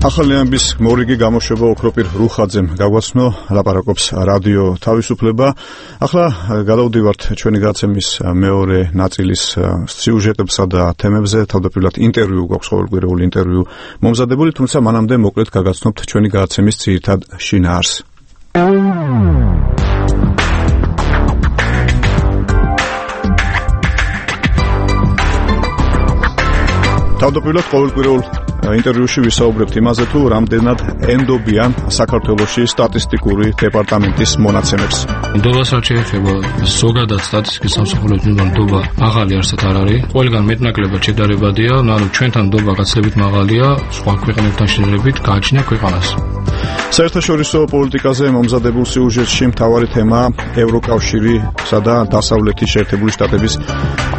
ახალი ამბის მორიგი გამოშვება ოქროპირ რუხაძემ გაგვაცნო, ლაპარაკობს რადიო თავისუფლება. ახლა გადავდივართ ჩვენი გაცემის მეორე ნაწილის სიუჟეტებსა და თემებზე. თავდაპირველად ინტერვიუ გვაქვს, ყოველკვირეული ინტერვიუ მომზადებული, თუმცა მანამდე მოკლედ გაგაცნობთ ჩვენი გაცემის ძირითად შინაარსს. თავდაპირველად ყოველკვირეულ ინტერვიუში ვისაუბრებთ იმაზე, თუ რამდენად ენდობიან საქართველოში სტატისტიკური დეპარტამენტის მონაცემებს. ნდობას რაც შეეხება ზოგადად სტატისტიკის სამსახურებს მიმართ ნდობა მაღალი არსად არ არის. ყველგან მეტნაკლებად შედარებადია, ანუ ჩვენთან ნდობა გაცილებით მაღალია, სხვა ქვეყნებთან შედარებით გააჩნია ქვეყანას. საერთაშორისო პოლიტიკაზე მომზადებულ სიუჟეტში მთავარი თემაა ევროკავშირისა და დასავლეთის შეერთებული შტატების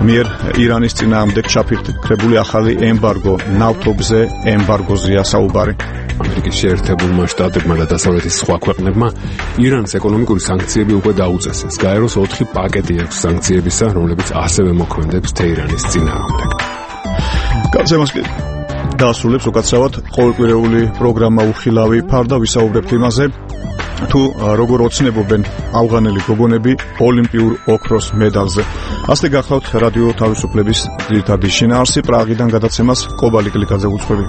მიერ ირანის წინააღმდეგ ჩაფიქრებული ახალი ემბარგო, ნავთობზე ემბარგოზია საუბარი. ამერიკის შეერთებულმა შტატებმა და დასავლეთის სხვა ქვეყნებმა ირანს ეკონომიკური სანქციები უკვე დაუწესეს. გაეროს 4 პაკეტი აქვს სანქციებისა, რომლებიც ასევე მოქმედებს თეირანის წინააღმდეგ. გაცემას დაასრულებს უკაცრავად ყოველკვირეული პროგრამა უხილავი ფარდა, ვისაუბრებთ იმაზე, თუ როგორ ოცნებობენ ავღანელი გოგონები ოლიმპიურ ოქროს მედალზე. ასე გახლავთ რადიო თავისუფლების ძირითადი შინაარსი. პრაღიდან გადაცემას კობალი კლიკაძე უძღვები.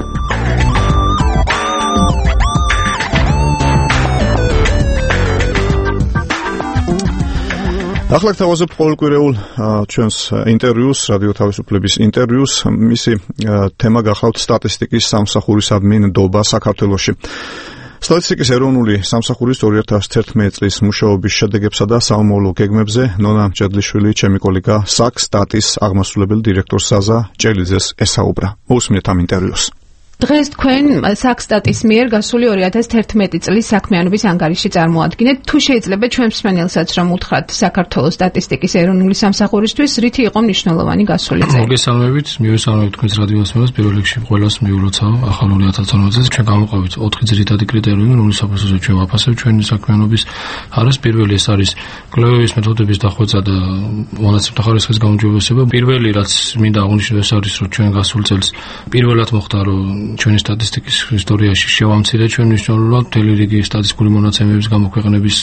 ახლა გთავაზობ ყოველკვირეულ ჩვენს ინტერვიუს, რადიო თავისუფლების ინტერვიუს. მისი თემა გახლავთ სტატისტიკის სამსახურისადმი ნდობა საქართველოში. სტატისტიკის ეროვნული სამსახურის 2011 წლის მუშაობის შედეგებსა და საომავლო გეგმებზე ნონა მჭედლიშვილი ჩემი კოლეგა SAC-STAT-ის აღმასრულებელი დირექტორ საზა ჭელიძეს ესაუბრა. მოусმინეთ ამ ინტერვიუს. დღეს თქვენ SAC-STAT-ის მიერ გასული 2011 წლის საქმიანობის ანგარიში წარმოადგენთ. თუ შეიძლება ჩვენ მსმენელსაც რომ უთხრათ საქართველოს სტატისტიკის ეროვნული სამსახურისთვის რითი იყო მნიშვნელოვანი გასული წელი? მოგესალმებით, მივესალმებით თქვენს რადიო ასმენელს. პირველ რიგში ყველას მიულოცავ ახალ 2012 წელს. ჩვენ გამოვყავით 4 ძირითადი კრიტერიუმი, რომლის საფუძველზე ჩვენ ვაფასებთ ჩვენი საქმიანობის არის. პირველი ეს არის კვლევების მეთოდების დახვეწა და მონაცემთა ხარისხის გაუმჯობესება. პირველი რაც მინდა აღნიშნო ეს არის, რომ ჩვენ გასულ წელს პირველად მოხდა, რომ ჩვენი სტატისტიკის ისტორიაში შევამცირე ჩვენ მნიშვნელოვნად მთელი რიგი სტატისტიკური მონაცემების გამოქვეყნების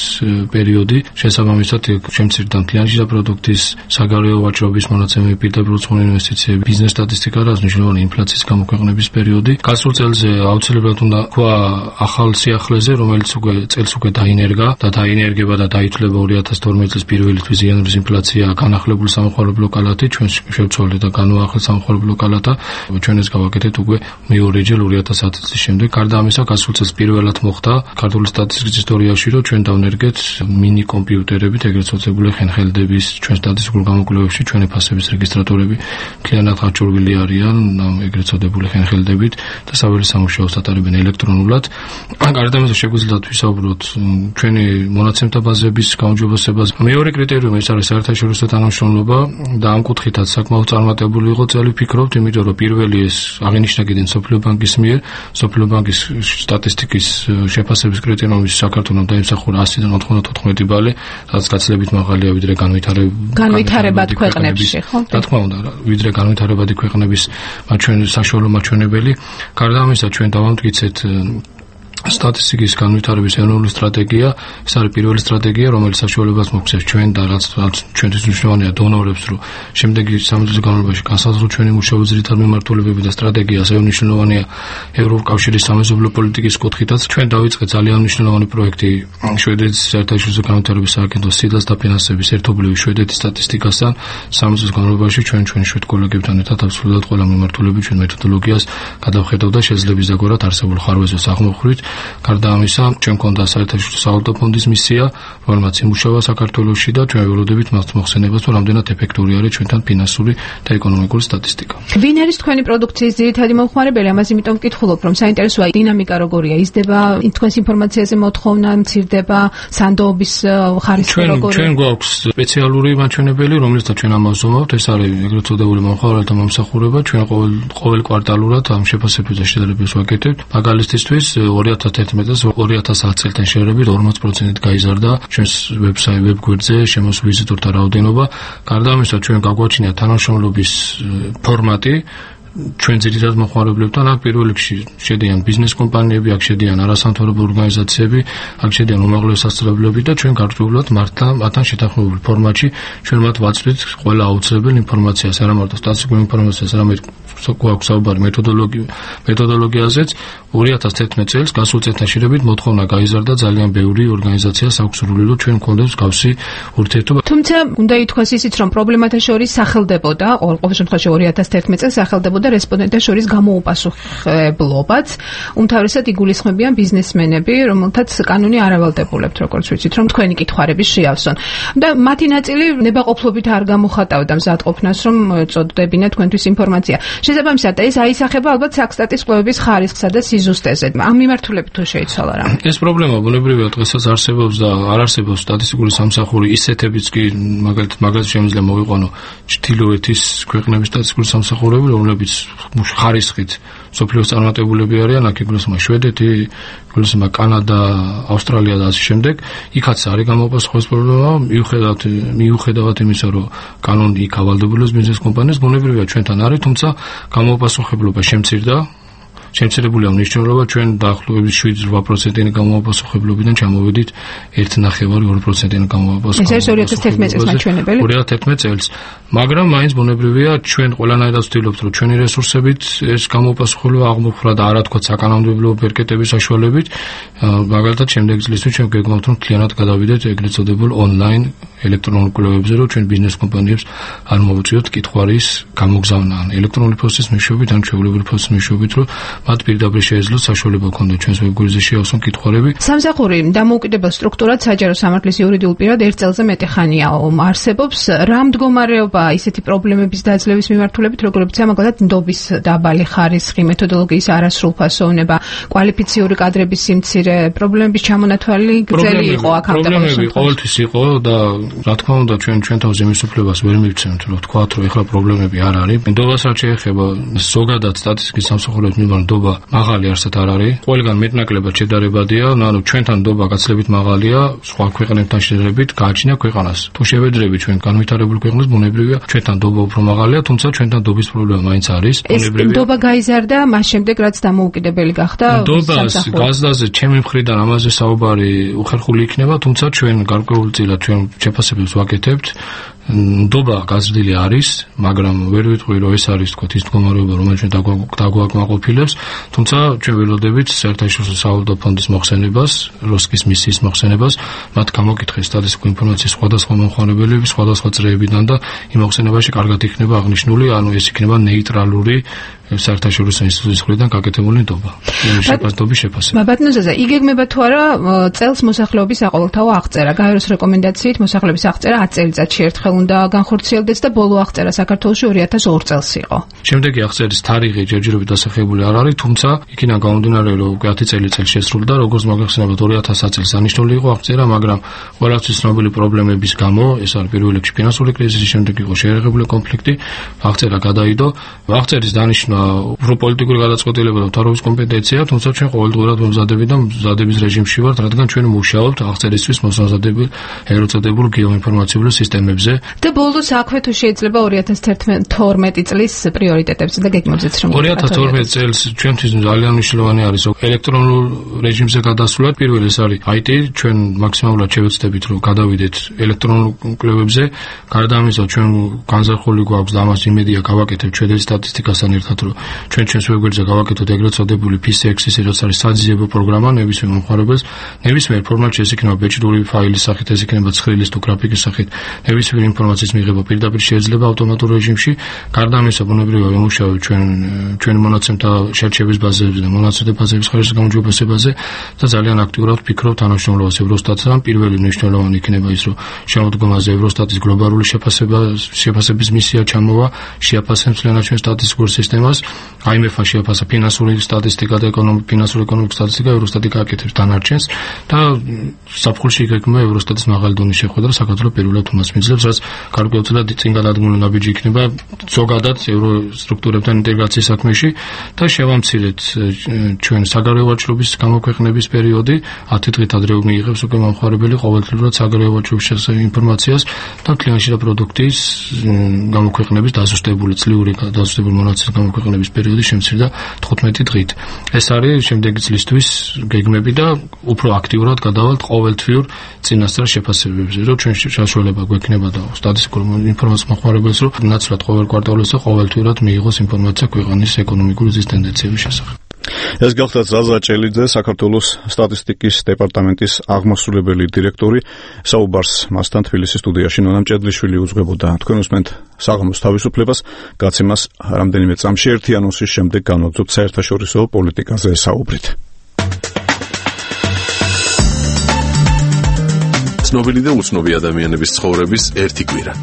პერიოდი. შესაბამისად, შემცირდა მთლიანში პროდუქტის, საგარეო ვაჭრობის მონაცემები, პირდაპირ უცხოური ინვესტიციები, ბიზნეს სტატისტიკა, რაც მნიშვნელოვანი ინფლაციის გამოქვეყნების პერიოდი. გასულ წელზე აუცილებლად უნდა თქვა ახალ სიახლეზე, რომელიც წელს უკვე დაინერგა და დაინერგება და დაითვლება 2012 წლის პირველი თვის იანვრის ინფლაცია, განახლებული სამხარებლო კალათი, ჩვენ შევცვალეთ და განვაახლეთ სამხარებლო კალათა. ჩვენ ეს გავაკეთეთ უკვე მეორე ჯერ 2010 წლის შემდეგ. გარდა ამისა, გასულ წელს პირველად მოხდა ქართული სტატისტიკის ისტორიაში, რომ ჩვენ დავნერგეთ მინი კომპიუტერებით ეგრეთ წოდებული ხენხელდების ჩვენ სტატისტიკურ გამოკვლევებში ჩვენი ფასების რეგისტრატორები მთლიანად გაჭურვილი არიან ეგრეთ წოდებული ხენხელდებით და საველე სამუშაოს ატარებენ ელექტრონულად. გარდა ამისა, შეგვიძლია ვისაუბროთ ჩვენი მონაცემთა ბაზების გაუმჯობესებას. მეორე კრიტერიუმი ეს არის საერთაშორისო თანამშრომლობა და ამ კუთხითაც საკმაოდ წარმატებული იყო წელი ვფიქრობთ, იმიტომ რომ პირველი ეს აღინიშნა კიდევ სოფლიო ბანკის მიერ, სოფლიო ბანკის სტატისტიკის შეფასების კრიტერიუმის საქართველოს დაიმსახურა 100-დან 94 ბალი, რაც გაცილებით მაღალია ვიდრე განვითარებად ქვეყნებში, ხო? რა თქმა უნდა, ვიდრე განვითარებადი ქვეყნების საშუალო მაჩვენებელი. გარდა ამისა, ჩვენ დავამტკიცეთ სტატისტიკის განვითარების ეროვნული სტრატეგია. ეს არის პირველი სტრატეგია, რომელიც საშუალებას მოგვცემს ჩვენ და რაც ჩვენთვის მნიშვნელოვანია დონორებს, რომ შემდეგი 3 წლის განმავლობაში განსაზღვროთ ჩვენი მუშაობის ძირითადი მიმართულებები და სტრატეგია. ასევე მნიშვნელოვანია ევროკავშირის სამეზობლო პოლიტიკის კუთხითაც. ჩვენ დავიწყეთ ძალიან მნიშვნელოვანი პროექტი შვედეთის საერთაშორისო განვითარების სააგენტოს სიდას დაფინანსების ერთობლივი შვედეთის სტატისტიკასთან. 3 წლის განმავლობაში ჩვენ ჩვენი შვედ კოლეგებთან ერთად აბსოლუტურად ყველა მიმართულებით ჩვენ მეთოდოლოგიას გადავხედავ და შეძლებს ზოგადად არსებულ ხარვეზებს აღმოხვრით. გარდა ამისა, ჩვენ გქონდა საერთაშორისო სავალუტო ფონდის მისია, რომელმაც იმუშავა საქართველოში და ჩვენ ველოდებით მას მოხსენებას, რომ რამდენად ეფექტური არის ჩვენთან ფინანსური და ეკონომიკური სტატისტიკა. ვინ არის თქვენი პროდუქციის ძირითადი მომხმარებელი? ამას იმიტომ ვკითხულობ, რომ საინტერესოა დინამიკა როგორია, იზრდება თქვენს ინფორმაციაზე მოთხოვნა, მცირდება, სანდოობის ხარისხი როგორია? ჩვენ გვაქვს სპეციალური მაჩვენებელი, რომელსაც ჩვენ ამას ვზომავთ, ეს არის ეგრეთ წოდებული მომხმარებელთა მომსახურება. ჩვენ ყოველ კვარტალურად ამ შეფასებებზე შეძლებებს ვაკეთებთ. მაგალითისთვის 2011 წელს 2010 წელთან შედარებით 40% გაიზარდა ჩვენს ვებგვერდზე შემოსულ ვიზიტორთა რაოდენობა. გარდა ამისა, ჩვენ გაგვაჩინა თანამშრომლობის ფორმატი ჩვენ ძირითადად მომხმარებლებთან. აქ პირველ რიგში შედიან ბიზნეს კომპანიები, აქ შედიან არასამთავრობო ორგანიზაციები, აქ შედიან უმაღლესი სასწავლებლები და ჩვენ გარკვეულად მათთან შეთანხმებულ ფორმატში ჩვენ მათ ვაწვდით ყველა აუცილებელ ინფორმაციას, არა მარტო სტატისტიკურ ინფორმაციას, არამედ გვაქვს საუბარი მეთოდოლოგიაზეც. 2011 წელს გასულ წელთან შედარებით მოთხოვნა გაიზარდა, ძალიან ბევრი ორგანიზაციას აქვს სურვილი, რომ ჩვენ გვქონდეს მსგავსი ურთიერთობა. თუმცა უნდა ითქვას ისიც, რომ პრობლემათა შორის სახელდებოდა, ყოველ შემთხვევაში 2011 წელს სახელდებოდა რესპონდენტთა შორის გამოუპასუხებლობაც. უმთავრესად იგულისხმებიან ბიზნესმენები, რომელთაც კანონი არ ავალდებულებთ, როგორც ვიცით, რომ თქვენი კითხვარების შეავსონ. და მათი ნაწილი ნებაყოფლობით არ გამოხატავდა მზადყოფნას, რომ წოდებინა თქვენთვის ინფორმაცია. შესაბამისად, ეს აისახება ალბათ SAC-STAT-ის კვლევების ხარისხსა და სიზუსტეზე. ამ მიმართულებით თუ შეიცვალა რა? ეს პრობლემა ბუნებრივია დღესაც არსებობს და არ არსებობს სტატისტიკური სამსახური ისეთებიც კი მაგალითად შემიძლია მოვიყვანო ჩრდილოეთის ქვეყნების სტატისტიკური სამსახურები, რომლებიც ხარისხით სოფლიოს წარმატებულები არიან, აქ იგულისხმება შვედეთი, იგულისხმება კანადა, ავსტრალია და ასე შემდეგ. იქაც არის გამოპასუხების პრობლემა, მიუხედავად იმისა, რომ კანონი იქ ავალდებულებს ბიზნეს კომპანიას, ბუნებრივია ჩვენთან არის, თუმცა გამოპასუხებლობა შემცირდა. შემცირებულია მნიშვნელობა ჩვენ დაახლოებით 7-8%-იანი გამოვაპასუხებლობიდან ჩამოვედით 1.5-2%-იანი გამოვაპასუხებლობიდან. ეს 2011 წელს მაჩვენებელი. 2011 წელს, მაგრამ მაინც ბუნებრივია ჩვენ ყველანაირად ვცდილობთ რომ ჩვენი რესურსებით ეს გამოვაპასუხებლობა აღმოფხვრა და არა თქვა საკანონმდებლო ბერკეტების საშუალებით, მაგალითად შემდეგ წლისთვის ჩვენ გეგმავთ რომ მთლიანად გადავიდეთ ეგრეთ წოდებულ ონლაინ ელექტრონულ კვლევებზე, რომ ჩვენ ბიზნეს კომპანიებს არ მოვუწიოთ კითხვარის გამოგზავნა ან ელექტრონული ფოსტის მეშვეობით ან ჩვეულებრივი ფოსტის მეშვეობით, რომ მათ პირდაპირ შეეძლოთ საშუალება ქონდეთ ჩვენს ვებგვერდზე შეავსონ კითხვარები. სამსახური დამოუკიდებელ სტრუქტურად საჯარო სამართლის იურიდიულ პირად 1 წელზე მეტი ხანია არსებობს. რა მდგომარეობა ისეთი პრობლემების დაძლევის მიმართულებით, როგორებიცაა მაგალითად ნდობის დაბალი ხარისხი, მეთოდოლოგიის არასრულფასოვნება, კვალიფიციური კადრების სიმცირე, პრობლემების ჩამონათვალი გრძელი იყო აქ პრობლემები ყოველთვის იყო და რა თქმა უნდა ჩვენ თავზე მისუფლებას ვერ მივცემთ რომ ვთქვათ რომ ეხლა პრობლემები არ არის. ნდობას რაც შეეხება ზოგადად სტატისტიკის სამსახურების მიმართ ნდობა მაღალი არსად არ არის. ყველგან მეტნაკლებად შედარებადია, ანუ ჩვენთან ნდობა გაცილებით მაღალია, სხვა ქვეყნებთან შედარებით გააჩნია ქვეყანას. თუ შევედრებით ჩვენ განვითარებულ ქვეყნებს, ბუნებრივია ჩვენთან ნდობა უფრო მაღალია, თუმცა ჩვენთან ნდობის პრობლემა მაინც არის. ბუნებრივია. ნდობა გაიზარდა მას შემდეგ რაც დამოუკიდებელი გახდა. ნდობას გაზდაზე ჩემი მხრიდან ამაზე საუბარი უხერხული იქნება, თუმცა ჩვენ გარკვეულწილად ჩვენ შეფასებებს ვაკეთებთ. ნდობა გაზრდილი არის, მაგრამ ვერ ვიტყვი რომ ეს არის თქო ის მდგომარეობა, რომელიც ჩვენ დაგვაკმაყოფილებს, თუმცა ჩვენ ველოდებით საერთაშორისო სავალუტო ფონდის მოხსენებას, როსკის მისიის მოხსენებას, მათ გამოკითხეს სტატისტიკურ ინფორმაციის სხვადასხვა მომხმარებლების, სხვადასხვა წრეებიდან და იმ მოხსენებაში კარგად იქნება აღნიშნული, ანუ ეს იქნება ნეიტრალური საერთაშორისო ინსტიტუტის მხრიდან გაკეთებული ნდობა. შეფასების შეფასება. ბატონოზაზე, იგეგმება თუ არა წელს მოსახლეობის საყოველთაო აღწერა, გაეროს რეკომენდაციით მოსახლეობის აღწერა 10 წელიწადში ერთხელ უნდა განხორციელდეს და ბოლო აღწერა საქართველოში 2002 წელს იყო. შემდეგი აღწერის თარიღი ჯერჯერობით დასახელებული არ არის, თუმცა იქიდან გამომდინარე რომ 10 წელიწადში შესრულდა, როგორც მოგეხსენებათ 2000 წელს დანიშნული იყო აღწერა, მაგრამ ყველასთვის ცნობილი პრობლემების გამო, ეს არის პირველ რიგში ფინანსური კრიზისი, შემდეგ იყო შეერაღებული კონფლიქტი, აღწერა გადაიდო. აღწერის დანიშნა უფრო პოლიტიკური გადაწყვეტილება და მთავრობის კომპეტენცია, თუმცა ჩვენ ყოველდღურად მომზადებით და მზადების რეჟიმში ვართ, რადგან ჩვენ მუშაობთ აღწერისთვის მოსამზადებელ ეგრეთ წოდებულ გეოინფორმაციულ სისტემებზე. და ბოლოს აქვე თუ შეიძლება 2012 წლის პრიორიტეტებზე და გეგმებზეც რომ 2012 წელს ჩვენთვის ძალიან მნიშვნელოვანი არის ელექტრონულ რეჟიმზე გადასვლა. პირველი ეს არის IT, ჩვენ მაქსიმალურად შევეცდებით რომ გადავიდეთ ელექტრონულ კვლევებზე. გარდა ამისა ჩვენ განზრახული გვაქვს და ამას იმედია გავაკეთებ ჩვენი სტატისტიკასთან ერთად, რომ ჩვენ ჩვენს ვებგვერდზე გავაკეთოთ ეგრეთ წოდებული PCX-ის, რაც არის საძიებო პროგრამა ნებისმიერ მომხმარებელს, ნებისმიერ ფორმატში, ეს იქნება ბეჭდური ფაილის სახით, ეს იქნება ცხრილის თუ გრაფიკის სახით, ნებისმიერ ინფორმაციის მიღება პირდაპირ შეიძლება ავტომატურ რეჟიმში. გარდა ამისა, ბუნებრივია ვიმუშავებთ ჩვენ მონაცემთა შერჩევის ბაზებზე და მონაცემთა ბაზების ხარისხის გამოჯობესებაზე და ძალიან აქტიურად ვფიქრობთ თანამშრომლობას ევროსტატთან. პირველი მნიშვნელოვანი იქნება ის, რომ შემოდგომაზე ევროსტატის გლობალური შეფასების მისია ჩამოვა, შეაფასებს მთლიანად ჩვენ სტატისტიკურ სისტემას. IMF-მა შეაფასა ფინანსური სტატისტიკა და ფინანსური ეკონომიკის სტატისტიკა, ევროსტატი გააკეთებს დანარჩენს და საფხულში იგეგმება ევროსტატის მაღალი დონის შეხვედრა საქართველოს პირველად უმას მიძლებს, რაც გარკვეულწილად წინ გადადგმული ნაბიჯი იქნება ზოგადად ევროსტრუქტურებთან ინტეგრაციის საქმეში და შევამცირეთ ჩვენ საგარეო ვაჭრობის გამოქვეყნების პერიოდი 10 დღით ადრე მიიღებს უკვე მომხმარებელი ყოველდღიურად საგარეო ვაჭრობის შესახებ ინფორმაციას და კლიანტში და პროდუქტის გამოქვეყნების დაზუსტებული წლიური დაზუსტებული მონაცემის გამოქვეყნების პერიოდი შემცირდა 15 დღით. ეს არის შემდეგი წლისთვის გეგმები და უფრო აქტიურად გადავალთ ყოველთვიურ წინასწარ შეფასებებზე, რომ ჩვენ საშუალება გვექნება და სტატისტიკურ ინფორმაციას მოხმარებელს, რომ ნაცვლად ყოველ კვარტალზე ყოველთვიურად მიიღოს ინფორმაცია ქვეყნის ეკონომიკური ზუსტენდენციების შესახებ. ეს გახლავთ ზაზა ჭელიძე, საქართველოს სტატისტიკის დეპარტამენტის აღმასრულებელი დირექტორი. საუბარს მასთან თბილისის სტუდიაში ნონა მჭედლიშვილი უძღვებოდა. თქვენ უსმენთ საღამოს თავისუფლებას, გაცემას რამდენიმე წამში ერთი ანონსის შემდეგ განვაგრძობთ საერთაშორისო პოლიტიკაზე საუბრით. ცნობილი და უცნობი ადამიანების ცხოვრების ერთი კვირა.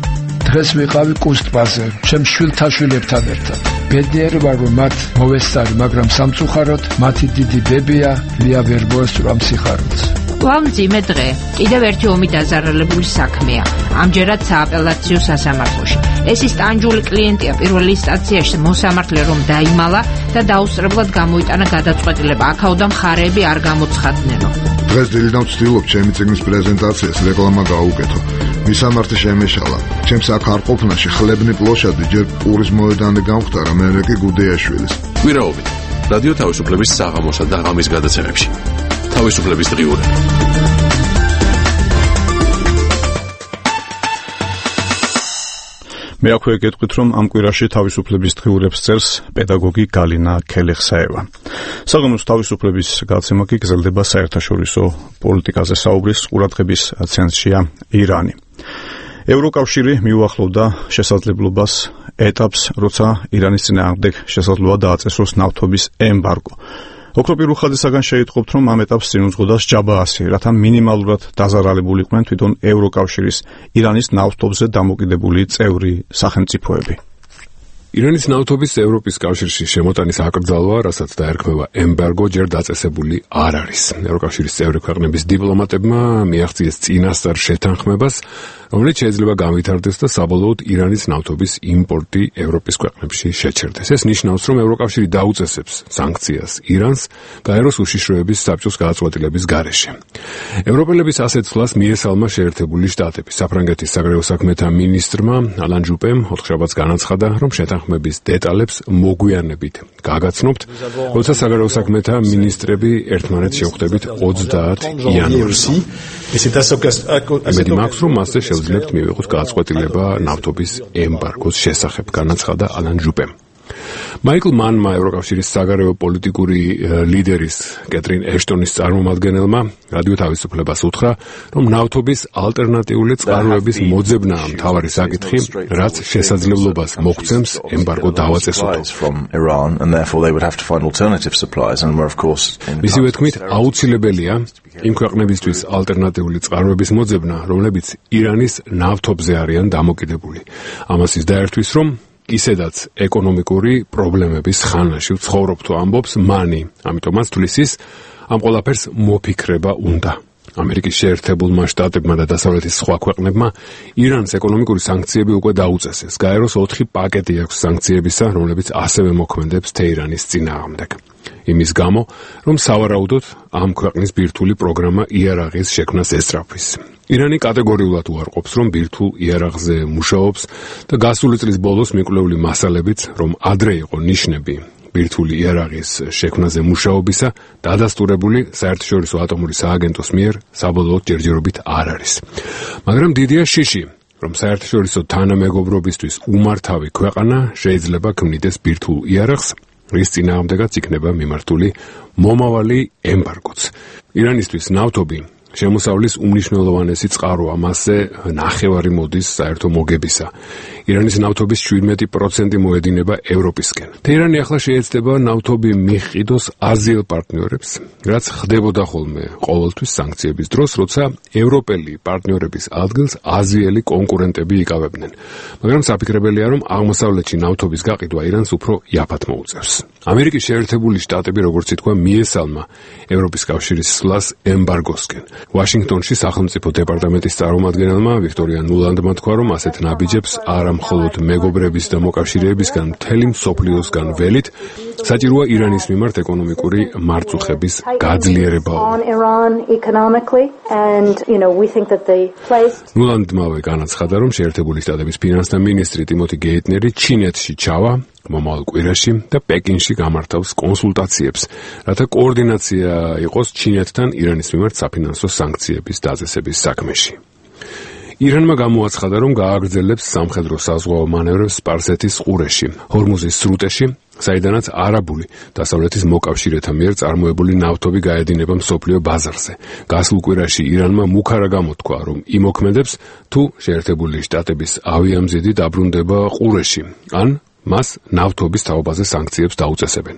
დღეს ვიყავი კუსტბაზე, ჩემ შვილთაშვილებთან ერთად. ბედნიერი ვარ, რომ მათ მოვესწარი, მაგრამ სამწუხაროდ მათი დიდი დებია ლია ვერ მოესწრო სიხარულს. ვამძიმე დღე, კიდევ ერთი ომი დაზარალებული საქმეა, ამჯერად სააპელაციო სასამართლოში. ეს ის ტანჯული კლიენტია პირველ ინსტანციაში მოსამართლე რომ დაიმალა და დაუსწრებლად გამოიტანა გადაწყვეტილება, აქაოდან მხარეები არ გამოცხადნენო. დღეს დილიდან ვცდილობ ჩემი წიგნის პრეზენტაციას რეკლამა გაუკეთო. მისამართი შემეშალა. ჩემს აქ არ ყოფნაში ხლებნი პლოშადი ჯერ პურის მოედანი გამختარა, მერე კი გუდეაშვილის. კვირაობით რადიო თავისუფლების საღამოსა და ღამის გადაცემებში. თავისუფლების დღიურები. მე აქვე გეტყვით, რომ ამ კვირაში თავისუფლების დღიურებს წერს პედაგოგი გალინა ქელეხსაევა. საღამოს თავისუფლების გადაცემა კი გრძელდება საერთაშორისო პოლიტიკაზე საუბრის ყურადღების ცენტრშია ირანი. ევროკავშირი მიუახლოვდა შესაძლებლობას ეტაპს, როცა ირანის წინააღმდეგ შესაძლოა დააწესოს ნავთობის ემბარგო. ოქროპირ უხაძესაგან შეიტყობთ, რომ ამ ეტაპს წინ უძღოდა ჯაბაასი, რათა მინიმალურად დაზარალებულიყვნენ თვითონ ევროკავშირის ირანის ნავთობზე დამოკიდებული წევრი სახელმწიფოები. ირანის ნავთობის ევროპის კავშირში შემოტანის აკრძალვა, რასაც დაერქმევა ემბარგო, ჯერ დაწესებული არ არის. ევროკავშირის წევრი ქვეყნების დიპლომატებმა მიაღწიეს წინასწარ შეთანხმებას, რომელიც შეიძლება განვითარდეს და საბოლოოდ ირანის ნავთობის იმპორტი ევროპის ქვეყნებში შეჩერდეს. ეს ნიშნავს, რომ ევროკავშირი დაუწესებს სანქციას ირანს გაეროს უშიშროების საბჭოს გადაწყვეტილების გარეშე. ევროპელების ასეთ ცვლას მიესალმა შეერთებული შტატები. საფრანგეთის საგარეო საქმეთა მინისტრმა ალან ჟუპემ ოთხშაბათს განაცხადა, რომ შეთანხმების დეტალებს მოგვიანებით გაგაცნობთ, როცა საგარეო საქმეთა მინისტრები ერთმანეთს შევხვდებით 30 იანვარში. იმედი მაქვს, რომ მასზე შევძლებთ მივიღოთ გადაწყვეტილება ნავთობის ემბარგოს შესახებ, განაცხადა ალან ჟუპემ. მაიკლ მანმა, ევროკავშირის საგარეო პოლიტიკური ლიდერის კეტრინ ეშტონის წარმომადგენელმა რადიო თავისუფლებას უთხრა, რომ ნავთობის ალტერნატიული წყაროების მოძებნაა მთავარი საკითხი, რაც შესაძლებლობას მოგცემს ემბარგო დავაწესოთ. მისივე თქმით, აუცილებელია იმ ქვეყნებისთვის ალტერნატიული წყაროების მოძებნა, რომლებიც ირანის ნავთობზე არიან დამოკიდებული. ამას ის დაერთვის, რომ ისედაც ეკონომიკური პრობლემების ხანაში ვცხოვრობ, ამბობს მანი. ამიტომაც თulis ის ამ ყველაფერს მოფიქრება უნდა. ამერიკის შეერთებულმა შტატებმა და დასავლეთის სხვა ქვეყნებმა ირანს ეკონომიკური სანქციები უკვე დაუწესეს. გაეროს 4 პაკეტი აქვს სანქციებისა, რომლებიც ასევე მოქმედებს თეირანის წინააღმდეგ. იმის გამო, რომ სავარაუდოდ ამ ქვეყნის ბირთვული პროგრამა იარაღის შექმნას ესწრაფვის. ირანი კატეგორიულად უარყოფს, რომ ბირთვულ იარაღზე მუშაობს და გასული წლის ბოლოს მიკვლეული მასალებიც, რომ ადრე იყო ნიშნები ბირთვული იარაღის შექმნაზე მუშაობისა, დადასტურებული საერთაშორისო ატომური სააგენტოს მიერ საბოლოოდ ჯერჯერობით არ არის. მაგრამ დიდია შიში, რომ საერთაშორისო თანამეგობრობისთვის უმართავი ქვეყანა შეიძლება ქმნიდეს ბირთვულ იარაღს, რის წინააღმდეგაც იქნება მიმართული მომავალი ემბარგოც. ირანისთვის ნავთობი შემოსავლის უმნიშვნელოვანესი წყაროა, მასზე ნახევარი მოდის საერთო მოგებისა. ირანის ნავთობის 17% მოედინება ევროპისკენ. თეირანი ახლა შეეცდება ნავთობი მიჰყიდოს აზიელ პარტნიორებს, რაც ხდებოდა ხოლმე ყოველთვის სანქციების დროს, როცა ევროპელი პარტნიორების ადგილს აზიელი კონკურენტები იკავებდნენ. მაგრამ საფიქრებელია, რომ აღმოსავლეთში ნავთობის გაყიდვა ირანს უფრო იაფად მოუწევს. ამერიკის შეერთებული შტატები, როგორც ითქვა, მიესალმა ევროპის კავშირის სვლას ემბარგოსკენ. ვაშინგტონში სახელმწიფო დეპარტამენტის წარმომადგენელმა ვიქტორია ნულანდმა თქვა, რომ ასეთ ნაბიჯებს არა მხოლოდ მეგობრების და მოკავშირეებისგან, მთელი მსოფლიოსგან ველით საჭიროა ირანის მიმართ ეკონომიკური მარწუხების გაძლიერება. ნულანდმავე განაცხადა, რომ შეერთებული შტატების ფინანსთა მინისტრი ტიმოთი გეიტნერი ჩინეთში ჩავა მომავალ კვირაში და პეკინში გამართავს კონსულტაციებს, რათა კოორდინაცია იყოს ჩინეთთან ირანის მიმართ საფინანსო სანქციების დაწესების საქმეში. ირანმა გამოაცხადა, რომ გააგრძელებს სამხედრო საზღვაო მანევრებს სპარსეთის ყურეში, ჰორმუზის სრუტეში, საიდანაც არაბული დასავლეთის მოკავშირეთა მიერ წარმოებული ნავთობი გაედინება მსოფლიო ბაზარზე. გასულ კვირაში ირანმა მუქარა გამოთქვა, რომ იმოქმედებს თუ შეერთებული შტატების ავიამზიდი დაბრუნდება ყურეში, ან მას ნავთობის თაობაზე სანქციებს დაუწესებენ.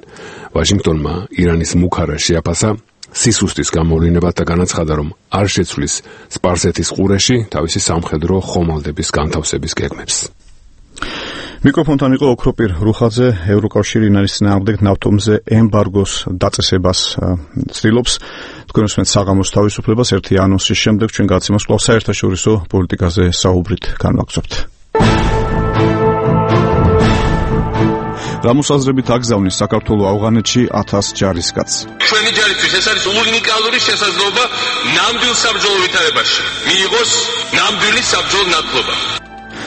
ვაშინგტონმა ირანის მუქარა შეაფასა სისუსტის გამოვლინებად და განაცხადა, რომ არ შეცვლის სპარსეთის ყურეში თავისი სამხედრო ხომალდების განთავსების გეგმებს. მიკროფონთან იყო ოქროპირ რუხაძე, ევროკავშირი ირანის წინააღმდეგ ნავთობზე ემბარგოს დაწესებას ცდილობს. თქვენ უსმენთ საღამოს თავისუფლებას, ერთი ანონსის შემდეგ ჩვენ გადაცემას კვლავ საერთაშორისო პოლიტიკაზე საუბრით განვაგრძობთ. რამოსაზრებით აგზავნის საქართველოს ავღანეთში 1000 ჯარისკაცს. ჩვენი ჯარისთვის ეს არის უნიკალური შესაძლებლობა ნამდვილ საბრძოლო ვითარებაში მიიღოს ნამდვილი საბრძოლო ნათლობა.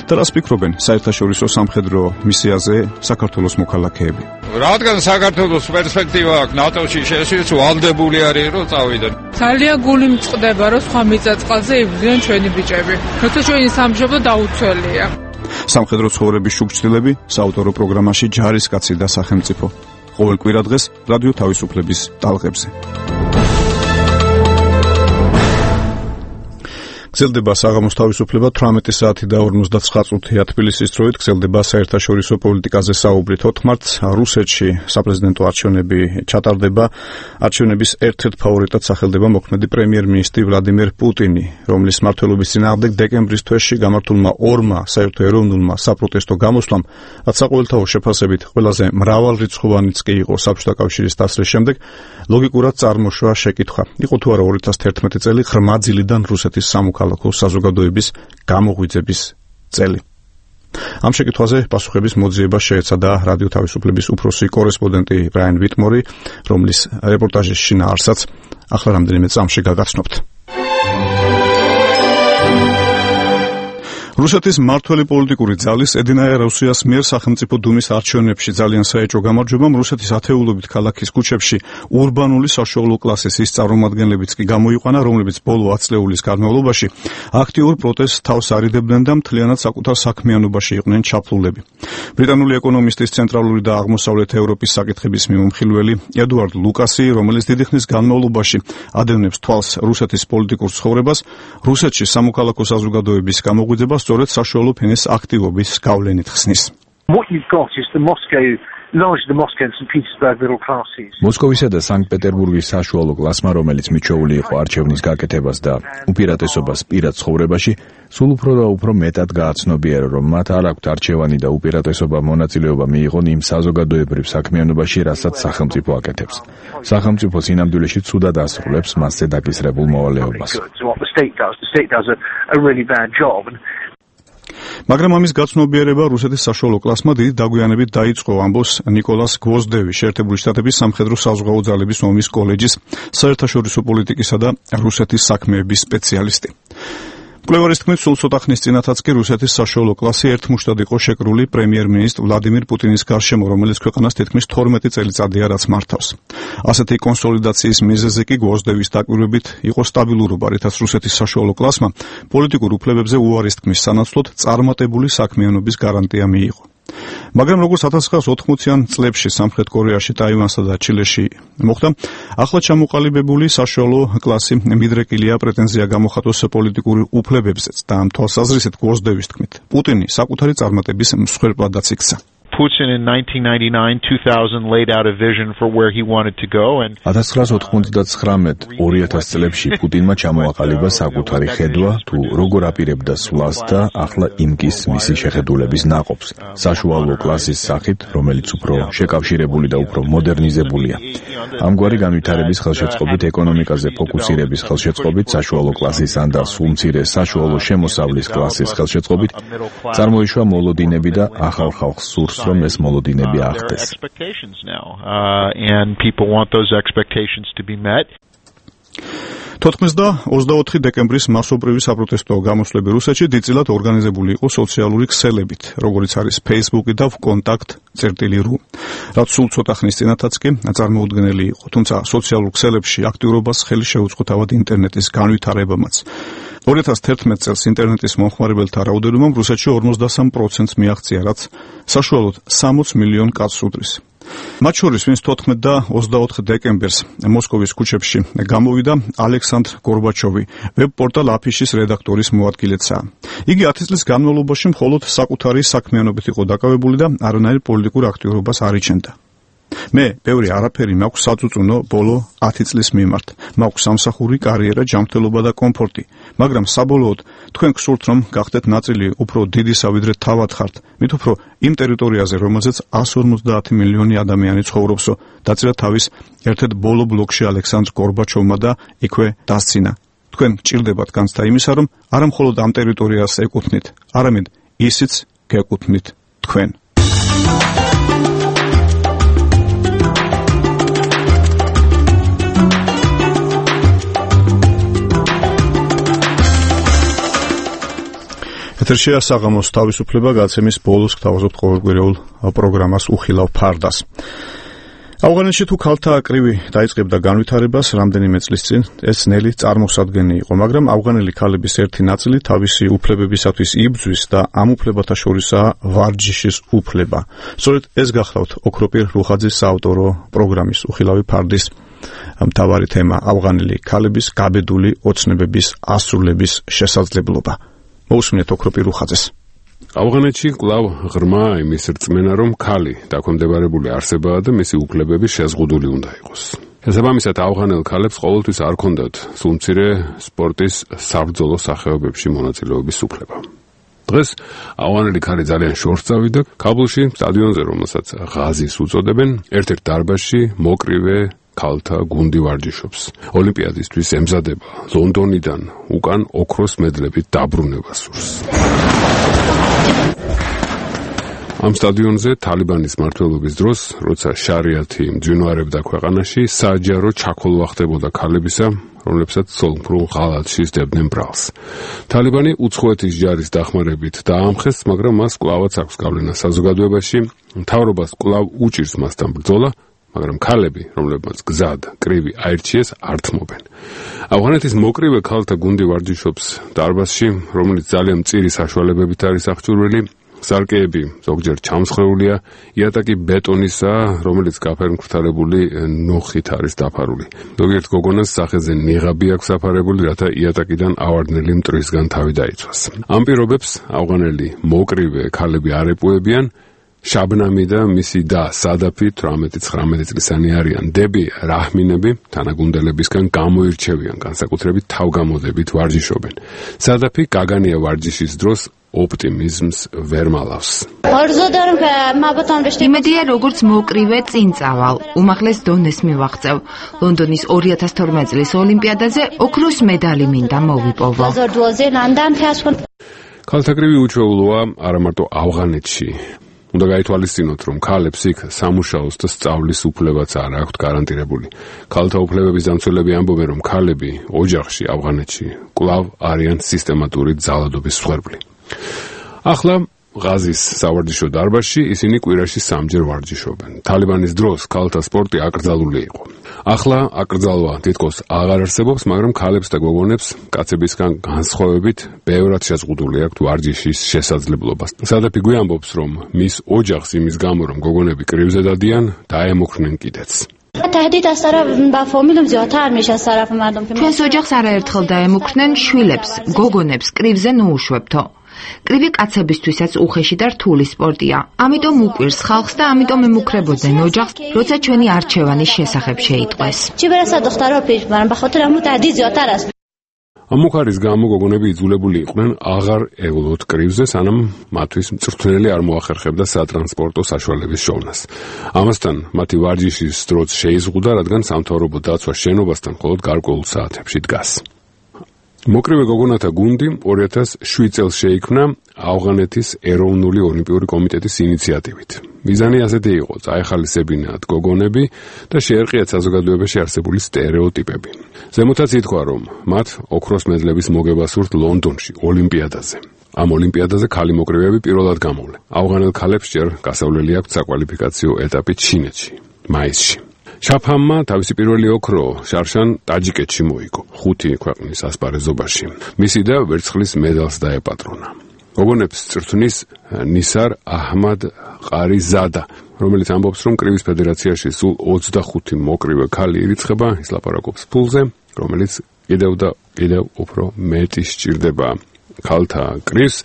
და რას ფიქრობენ საერთაშორისო სამხედრო მისიაზე საქართველოს მოქალაქეები. რადგან საქართველოს პერსპექტივა აქვს ნატოში შესვლის ვალდებული არის რომ წავიდნენ. ძალიან გული მწყდება რომ სხვა მიწა-წყალზე იბრძვიან ჩვენი ბიჭები. როცა ჩვენი სამშობლო დაუცველია. სამხედრო ცხოვრების შუქჩილები საავტორო პროგრამაში ჯარისკაცი და სახელმწიფო. ყოველ კვირა დღეს რადიო თავისუფლების ტალღებზე. გრძელდება საღამოს თავისუფლება 18 საათი და 59 წუთია თბილისის დროით. გრძელდება საერთაშორისო პოლიტიკაზე საუბრი. 4 მარტს რუსეთში საპრეზიდენტო არჩევნები ჩატარდება. არჩევნების ერთ-ერთ ფავორიტად სახელდება მოქმედი პრემიერ-მინისტრი ვლადიმერ პუტინი, რომლის მმართველობის წინააღმდეგ დეკემბრის თვეში გამართულმა ორმა საერთო-ეროვნულმა საპროტესტო გამოსვლამ, რაც საყოველთაო შეფასებით ყველაზე მრავალრიცხოვანიც კი იყო საბჭოთა კავშირის დასრის შემდეგ, ლოგიკურად წარმოშვა შეკითხვა. იყო თუ არა 2011 წელი ღრმა ძილიდან რუსეთის სამოქალაქო საზოგადოების გამოღვიძების წელი. ამ შეკითხვაზე პასუხების მოძიება შეეცადა რადიო თავისუფლების უფროსი კორესპონდენტი ბრაიან ვიტმორი, რომლის რეპორტაჟის შინაარსაც ახლა რამდენიმე წამში გაგაცნობთ. რუსეთის მმართველი პოლიტიკური ძალის ედინაია რუსიას მიერ სახელმწიფო დუმის არჩევნებში ძალიან საეჭვო გამარჯვებამ რუსეთის ათეულობით ქალაქის ქუჩებში ურბანული საშუალო კლასის ის წარმომადგენლებიც კი გამოიყვანა, რომლებიც ბოლო 10 წლეულის განმავლობაში აქტიურ პროტესტს თავს არიდებდნენ და მთლიანად საკუთარ საქმიანობაში იყვნენ ჩაფლულები. ბრიტანული ეკონომისტის ცენტრალური და აღმოსავლეთ ევროპის საკითხების მიმომხილველი ედუარდ ლუკასი, რომელიც დიდი ხნის განმავლობაში ადევნებს თვალს რუსეთის პოლიტიკურ ცხოვრებას, რუსეთში სამოქალაქო საზოგადოების გამოღვიძებას სწორედ საშუალო ფენის აქტივობის გავლენით ხსნის. მოსკოვისა და სანქტ-პეტერბურგის საშუალო კლასმა, რომელიც მიჩვეული იყო არჩევნის გაკეთებას და უპირატესობას პირად ცხოვრებაში, სულ უფრო და უფრო მეტად გააცნობიერა, რომ მათ არ აქვთ არჩევანი და უპირატესობა მონაწილეობა მიიღონ იმ საზოგადოებრივ საქმიანობაში, რასაც სახელმწიფო აკეთებს. სახელმწიფო სინამდვილეში ცუდად ასრულებს მასზე დაკისრებულ მოვალეობას. მაგრამ ამის გაცნობიერება რუსეთის საშუალო კლასმა დიდი დაგვიანებით დაიწყო, ამბობს ნიკოლას გვოზდევი, შეერთებული შტატების სამხედრო საზღვაო ძალების ომის კოლეჯის საერთაშორისო პოლიტიკისა და რუსეთის საქმეების სპეციალისტი. მკვლევარის თქმით, სულ ცოტა ხნის წინათაც კი რუსეთის საშუალო კლასი ერთმუშტად იყო შეკრული პრემიერ-მინისტრ ვლადიმირ პუტინის გარშემო, რომელიც ქვეყანას თითქმის 12 წელიწადია რაც მართავს. ასეთი კონსოლიდაციის მიზეზი კი გვოზდევის დაკვირვებით იყო სტაბილურობა, რითაც რუსეთის საშუალო კლასმა პოლიტიკურ უფლებებზე უარის თქმის სანაცვლოდ წარმატებული საქმიანობის გარანტია მიიღო. მაგრამ როგორც 1980-იან წლებში სამხრეთ კორეაში, ტაივანსა და ჩილეში მოხდა, ახლა ჩამოყალიბებული საშუალო კლასი მიდრეკილია პრეტენზია გამოხატოს პოლიტიკური უფლებებზეც და ამ თვალსაზრისით გვოზდევის თქმით, პუტინი საკუთარი წარმატების მსხვერპლადაც იქცა. Putin in 1999-2000 laid out a vision for where he wanted to go and 1999-2000 წლებში პუტინმა ჩამოაყალიბა საკუთარი ხედვა თუ როგორ აპირებდა სვლას და ახლა იმკის მისი შეხედულების ნაყოფს საშუალო კლასის სახით, რომელიც უფრო შეკავშირებული და უფრო მოდერნიზებულია. ამგვარი განვითარების ხელშეწყობით, ეკონომიკაზე ფოკუსირების ხელშეწყობით, საშუალო კლასის ან და სულ მცირე საშუალო შემოსავლის კლასის ხელშეწყობით წარმოიშვა მოლოდინები და ახალ ხალხს სურს რომ ეს მოლოდინები აღდეს. And people want those expectations to be met. 24 დეკემბრის მასობრივი საპროტესტო გამოსვლები რუსეთში დიდწილად ორგანიზებული იყო სოციალური ქსელებით, როგორიც არის Facebook და Contact.ru, რაც სულ ცოტა ხნის წინათაც კი წარმოუდგენელი იყო, თუმცა სოციალურ ქსელებში აქტიურობას ხელი შეუწყო თავად ინტერნეტის განვითარებამაც. 2011 წელს ინტერნეტის მომხმარებელთა რაოდენობამ რუსეთში 53%-ს მიაღწია, რაც საშუალოდ 60 მილიონ კაცს უდრის. მათ შორის, ვინც 14 და 24 დეკემბერს მოსკოვის ქუჩებში გამოვიდა, ალექსანდრ გორბაჩოვი, ვებ-პორტალ აფიშის რედაქტორის მოადგილეცაა. იგი 10 წლის განმავლობაში მხოლოდ საკუთარი საქმიანობით იყო დაკავებული და არანაირ პოლიტიკურ აქტიურობას არ იჩენდა. მე ბევრი არაფერი მაქვს საწუწუნო ბოლო 10 წლის მიმართ. მაქვს სამსახური, კარიერა, ჯანმრთელობა და კომფორტი, მაგრამ საბოლოოდ თქვენ გსურთ რომ გახდეთ ნაწილი უფრო დიდისა ვიდრე თავად ხართ, მით უფრო იმ ტერიტორიაზე, რომელზეც 150 მილიონი ადამიანი ცხოვრობსო, დაწერა თავის ერთ-ერთ ბოლო ბლოგში ალექსანდრ გორბაჩოვმა და იქვე დასცინა. თქვენ გჭირდებათ განცდა იმისა, რომ არა მხოლოდ ამ ტერიტორიას ეკუთვნით, არამედ ისიც გეკუთვნით თქვენ. ეთერშია საღამოს თავისუფლება გაცემის ბოლოს გთავაზობთ ყოველკვირეულ პროგრამას უხილავ ფარდას. ავღანეთში თუ ქალთა კრივი დაიწყებდა განვითარებას რამდენიმე წლის წინ, ეს ნელი წარმოსადგენი იყო, მაგრამ ავღანელი ქალების ერთი ნაწილი თავისი უფლებებისათვის იბრძვის და ამ უფლებათა შორისაა ვარჯიშის უფლება. სწორედ ეს გახლავთ ოქროპირ რუხაძის საავტორო პროგრამის უხილავი ფარდის მთავარი თემა, ავღანელი ქალების გაბედული ოცნებების ასრულების შესაძლებლობა. მოусმინეთ ოქროპირ რუხაძეს. ავღანეთში კვლავ ღრმა იმის რწმენა, რომ ქალი დაქვემდებარებული არსებაა და მისი უფლებები შეზღუდული უნდა იყოს. შესაბამისად, ავღანელ ქალებს ყოველთვის არ ჰქონდათ სულმცირე სპორტის საბრძოლო სახეობებში მონაწილეობის უფლება. დღეს ავღანელი ქალი ძალიან შორს წავიდა ქაბულში, სტადიონზე, რომელსაც ღაზის უწოდებენ, ერთ-ერთ დარბაზში მოკრივე ქალთა გუნდი ვარჯიშობს. ოლიმპიადისთვის ემზადება, ლონდონიდან უკან ოქროს მედლებით დაბრუნება სურს. ამ სტადიონზე თალიბანის მმართველობის დროს, როცა შარიათი მძვინვარებდა ქვეყანაში, საჯარო ჩაქოლვა ხდებოდა ქალებისა, რომლებსაც სოლმფრულ ღალატში სდებდნენ ბრალს. თალიბანი უცხოეთის ჯარის დახმარებით დაამხეს, მაგრამ მას კვლავაც აქვს გავლენა საზოგადოებაში, მთავრობას კვლავ უჭირს მასთან ბრძოლა, მაგრამ ქალები, რომლებმაც გზად კრივი აირჩიეს, არ თმობენ. ავღანეთის მოკრივე ქალთა გუნდი ვარჯიშობს დარბაზში, რომელიც ძალიან მწირი საშუალებებით არის აღჭურვილი. სარკეები ზოგჯერ ჩამსხვრეულია, იატაკი ბეტონისაა, რომელიც გაფერმკრთალებული ნოხით არის დაფარული. ზოგიერთ გოგონას სახეზე ნიღაბი აქვს აფარებული, რათა იატაკიდან ავარდნელი მტრისგან თავი დაიცვას. ამ პირობებს ავღანელი მოკრივე ქალები არ ეპუებიან. შაბნამი და მისი და სადაფი 18-19 წლისანი არიან. დები რაჰმინები თანაგუნდელებისგან გამოირჩევიან, განსაკუთრებით თავგამოდებით ვარჯიშობენ. სადაფი გაგანია ვარჯიშის დროს ოპტიმიზმს ვერ მალავს. იმედია როგორც მოკრივე წინ წავალ, უმაღლეს დონეს მივაღწევ. ლონდონის 2012 წლის ოლიმპიადაზე ოქროს მედალი მინდა მოვიპოვო. ქალთა კრივი უჩვეულოა არა მარტო ავღანეთში. უნდა გაითვალისწინოთ, რომ ქალებს იქ სამუშაოს და სწავლის უფლებაც არ აქვთ გარანტირებული. ქალთა უფლებების დამცველები ამბობენ, რომ ქალები ოჯახში ავღანეთში კვლავ არიან სისტემატური ძალადობის მსხვერპლი. ახლა ღაზის სავარჯიშო დარბაზში ისინი კვირაში 3-ჯერ ვარჯიშობენ. თალიბანის დროს ქალთა სპორტი აკრძალული იყო. ახლა აკრძალვა თითქოს აღარ არსებობს, მაგრამ ქალებს და გოგონებს კაცებისგან განსხვავებით ბევრად შეზღუდული აქვთ ვარჯიშის შესაძლებლობა. სადაფი გვიამბობს, რომ მის ოჯახს იმის გამო, რომ გოგონები კრივზე დადიან, დაემუქრნენ კიდეც. ჩვენს ოჯახს არაერთხელ დაემუქრნენ, შვილებს, გოგონებს კრივზე ნუუშვებთო. კრივი კაცებისთვისაც უხეში და რთული სპორტია. ამიტომ უკვირს ხალხს და ამიტომ ემუქრებოდნენ ოჯახს, როცა ჩვენი არჩევანის შესახებ შეიტყვეს. ამ მუხარის გამო გოგონები იძულებული იყვნენ აღარ ევლოთ კრივზე, სანამ მათთვის მწვრთნელი არ მოახერხებდა სატრანსპორტო საშუალების შოვნას. ამასთან მათი ვარჯიშის დროც შეიზღუდა, რადგან სამთავრობო დაცვა შენობასთან მხოლოდ გარკვეულ საათებში დგას. მოკრივე გოგონათა გუნდი 2007 წელს შეიქმნა ავღანეთის ეროვნული ოლიმპიური კომიტეტის ინიციატივით. მიზანი ასეთი იყო: წაეხალისებინათ გოგონები და შეერყიათ საზოგადოებაში არსებული სტერეოტიპები. ზემოთაც ითქვა, რომ მათ ოქროს მედლების მოგება სურთ ლონდონში, ოლიმპიადაზე. ამ ოლიმპიადაზე ქალი მოკრივეები პირველად გამოვლენ. ავღანელ ქალებს ჯერ გასავლელი აქვთ საკვალიფიკაციო ეტაპი ჩინეთში, მაისში. შაფჰამმა თავისი პირველი ოქრო შარშან ტაჯიკეთში მოიგო 5 ქვეყნის ასპარეზობაში. მისი და ვერცხლის მედალს დაეპატრონა. გოგონებს წვრთნის ნისარ აჰმად ყარიზადა, რომელიც ამბობს, რომ კრივის ფედერაციაში სულ 25 მოკრივე ქალი ირიცხება, ის ლაპარაკობს ფულზე, რომელიც კიდევ უფრო მეტი სჭირდება ქალთა კრივს.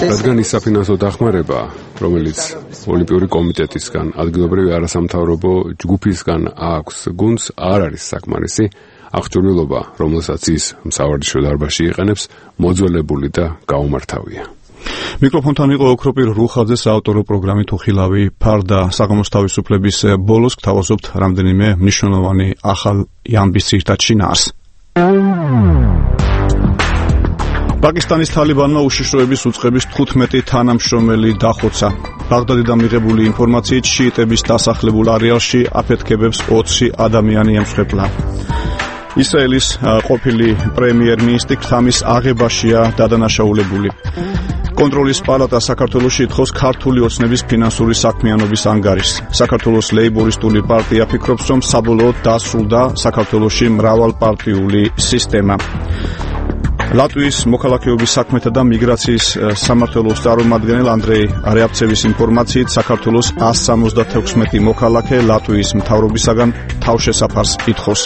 რადგან ის საფინანსო დახმარება, რომელიც ოლიმპიური კომიტეტისგან, ადგილობრივი არასამთავრობო ჯგუფისგან აქვს გუნდს, არ არის საკმარისი, აღჭურვილობა, რომელსაც ის სავარჯიშო დარბაზში იყენებს, მოძველებული და გაუმართავია. მიკროფონთან იყო ოქროპირ რუხაძეს საავტორო პროგრამით უხილავი ფარდა. საღამოს თავისუფლების ბოლოს გთავაზობთ რამდენიმე მნიშვნელოვანი ახალ ამბის ძირითად შინაარს. პაკისტანის თალიბანმა უშიშროების უწყების 15 თანამშრომელი დახოცა. ბაღდადიდან მიღებული ინფორმაციით შიიტების დასახლებულ არეალში აფეთქებებს 20 ადამიანი ემსხვერპლა. ისრაელის ყოფილი პრემიერ-მინისტრი ქთამის აღებაშია დადანაშაულებული. კონტროლის პალატა საქართველოში ითხოვს ქართული ოცნების ფინანსური საქმიანობის ანგარიშს. საქართველოს ლეიბორისტული პარტია ფიქრობს, რომ საბოლოოდ დასრულდა საქართველოში მრავალპარტიული სისტემა. ლატვიის მოქალაქეობის საქმეთა და მიგრაციის სამმართველოს წარმომადგენელ ანდრეი რეაბცევის ინფორმაციით, საქართველოს 176 მოქალაქე ლატვიის მთავრობისაგან თავშესაფარს ითხოვს.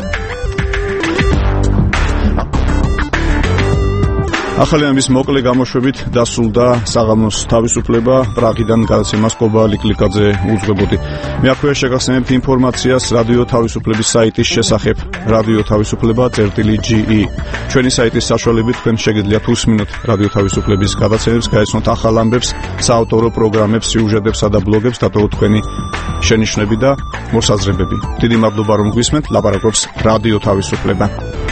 ახალი ამის მოკლე გამოშვებით დასრულდა საღამოს თავისუფლება. პრაღიდან გადაცემას კობა ლიკლიკაძე უძღვებოდი. მე აქვეა შეგახსენებთ ინფორმაციას რადიო თავისუფლების საიტის შესახებ radio-tavisupleba.ge. ჩვენი საიტის საშუალებით თქვენ შეგიძლიათ უსმინოთ რადიო თავისუფლების გადაცემებს, გაიცნოთ ახალ ამბებს, საავტორო პროგრამებს, სიუჟეტებსა და ბლოგებს, დატოვოთ თქვენი შენიშვნები და მოსაზრებები. დიდი მადლობა რომ გვისმენთ. ლაპარაკობს რადიო თავისუფლება.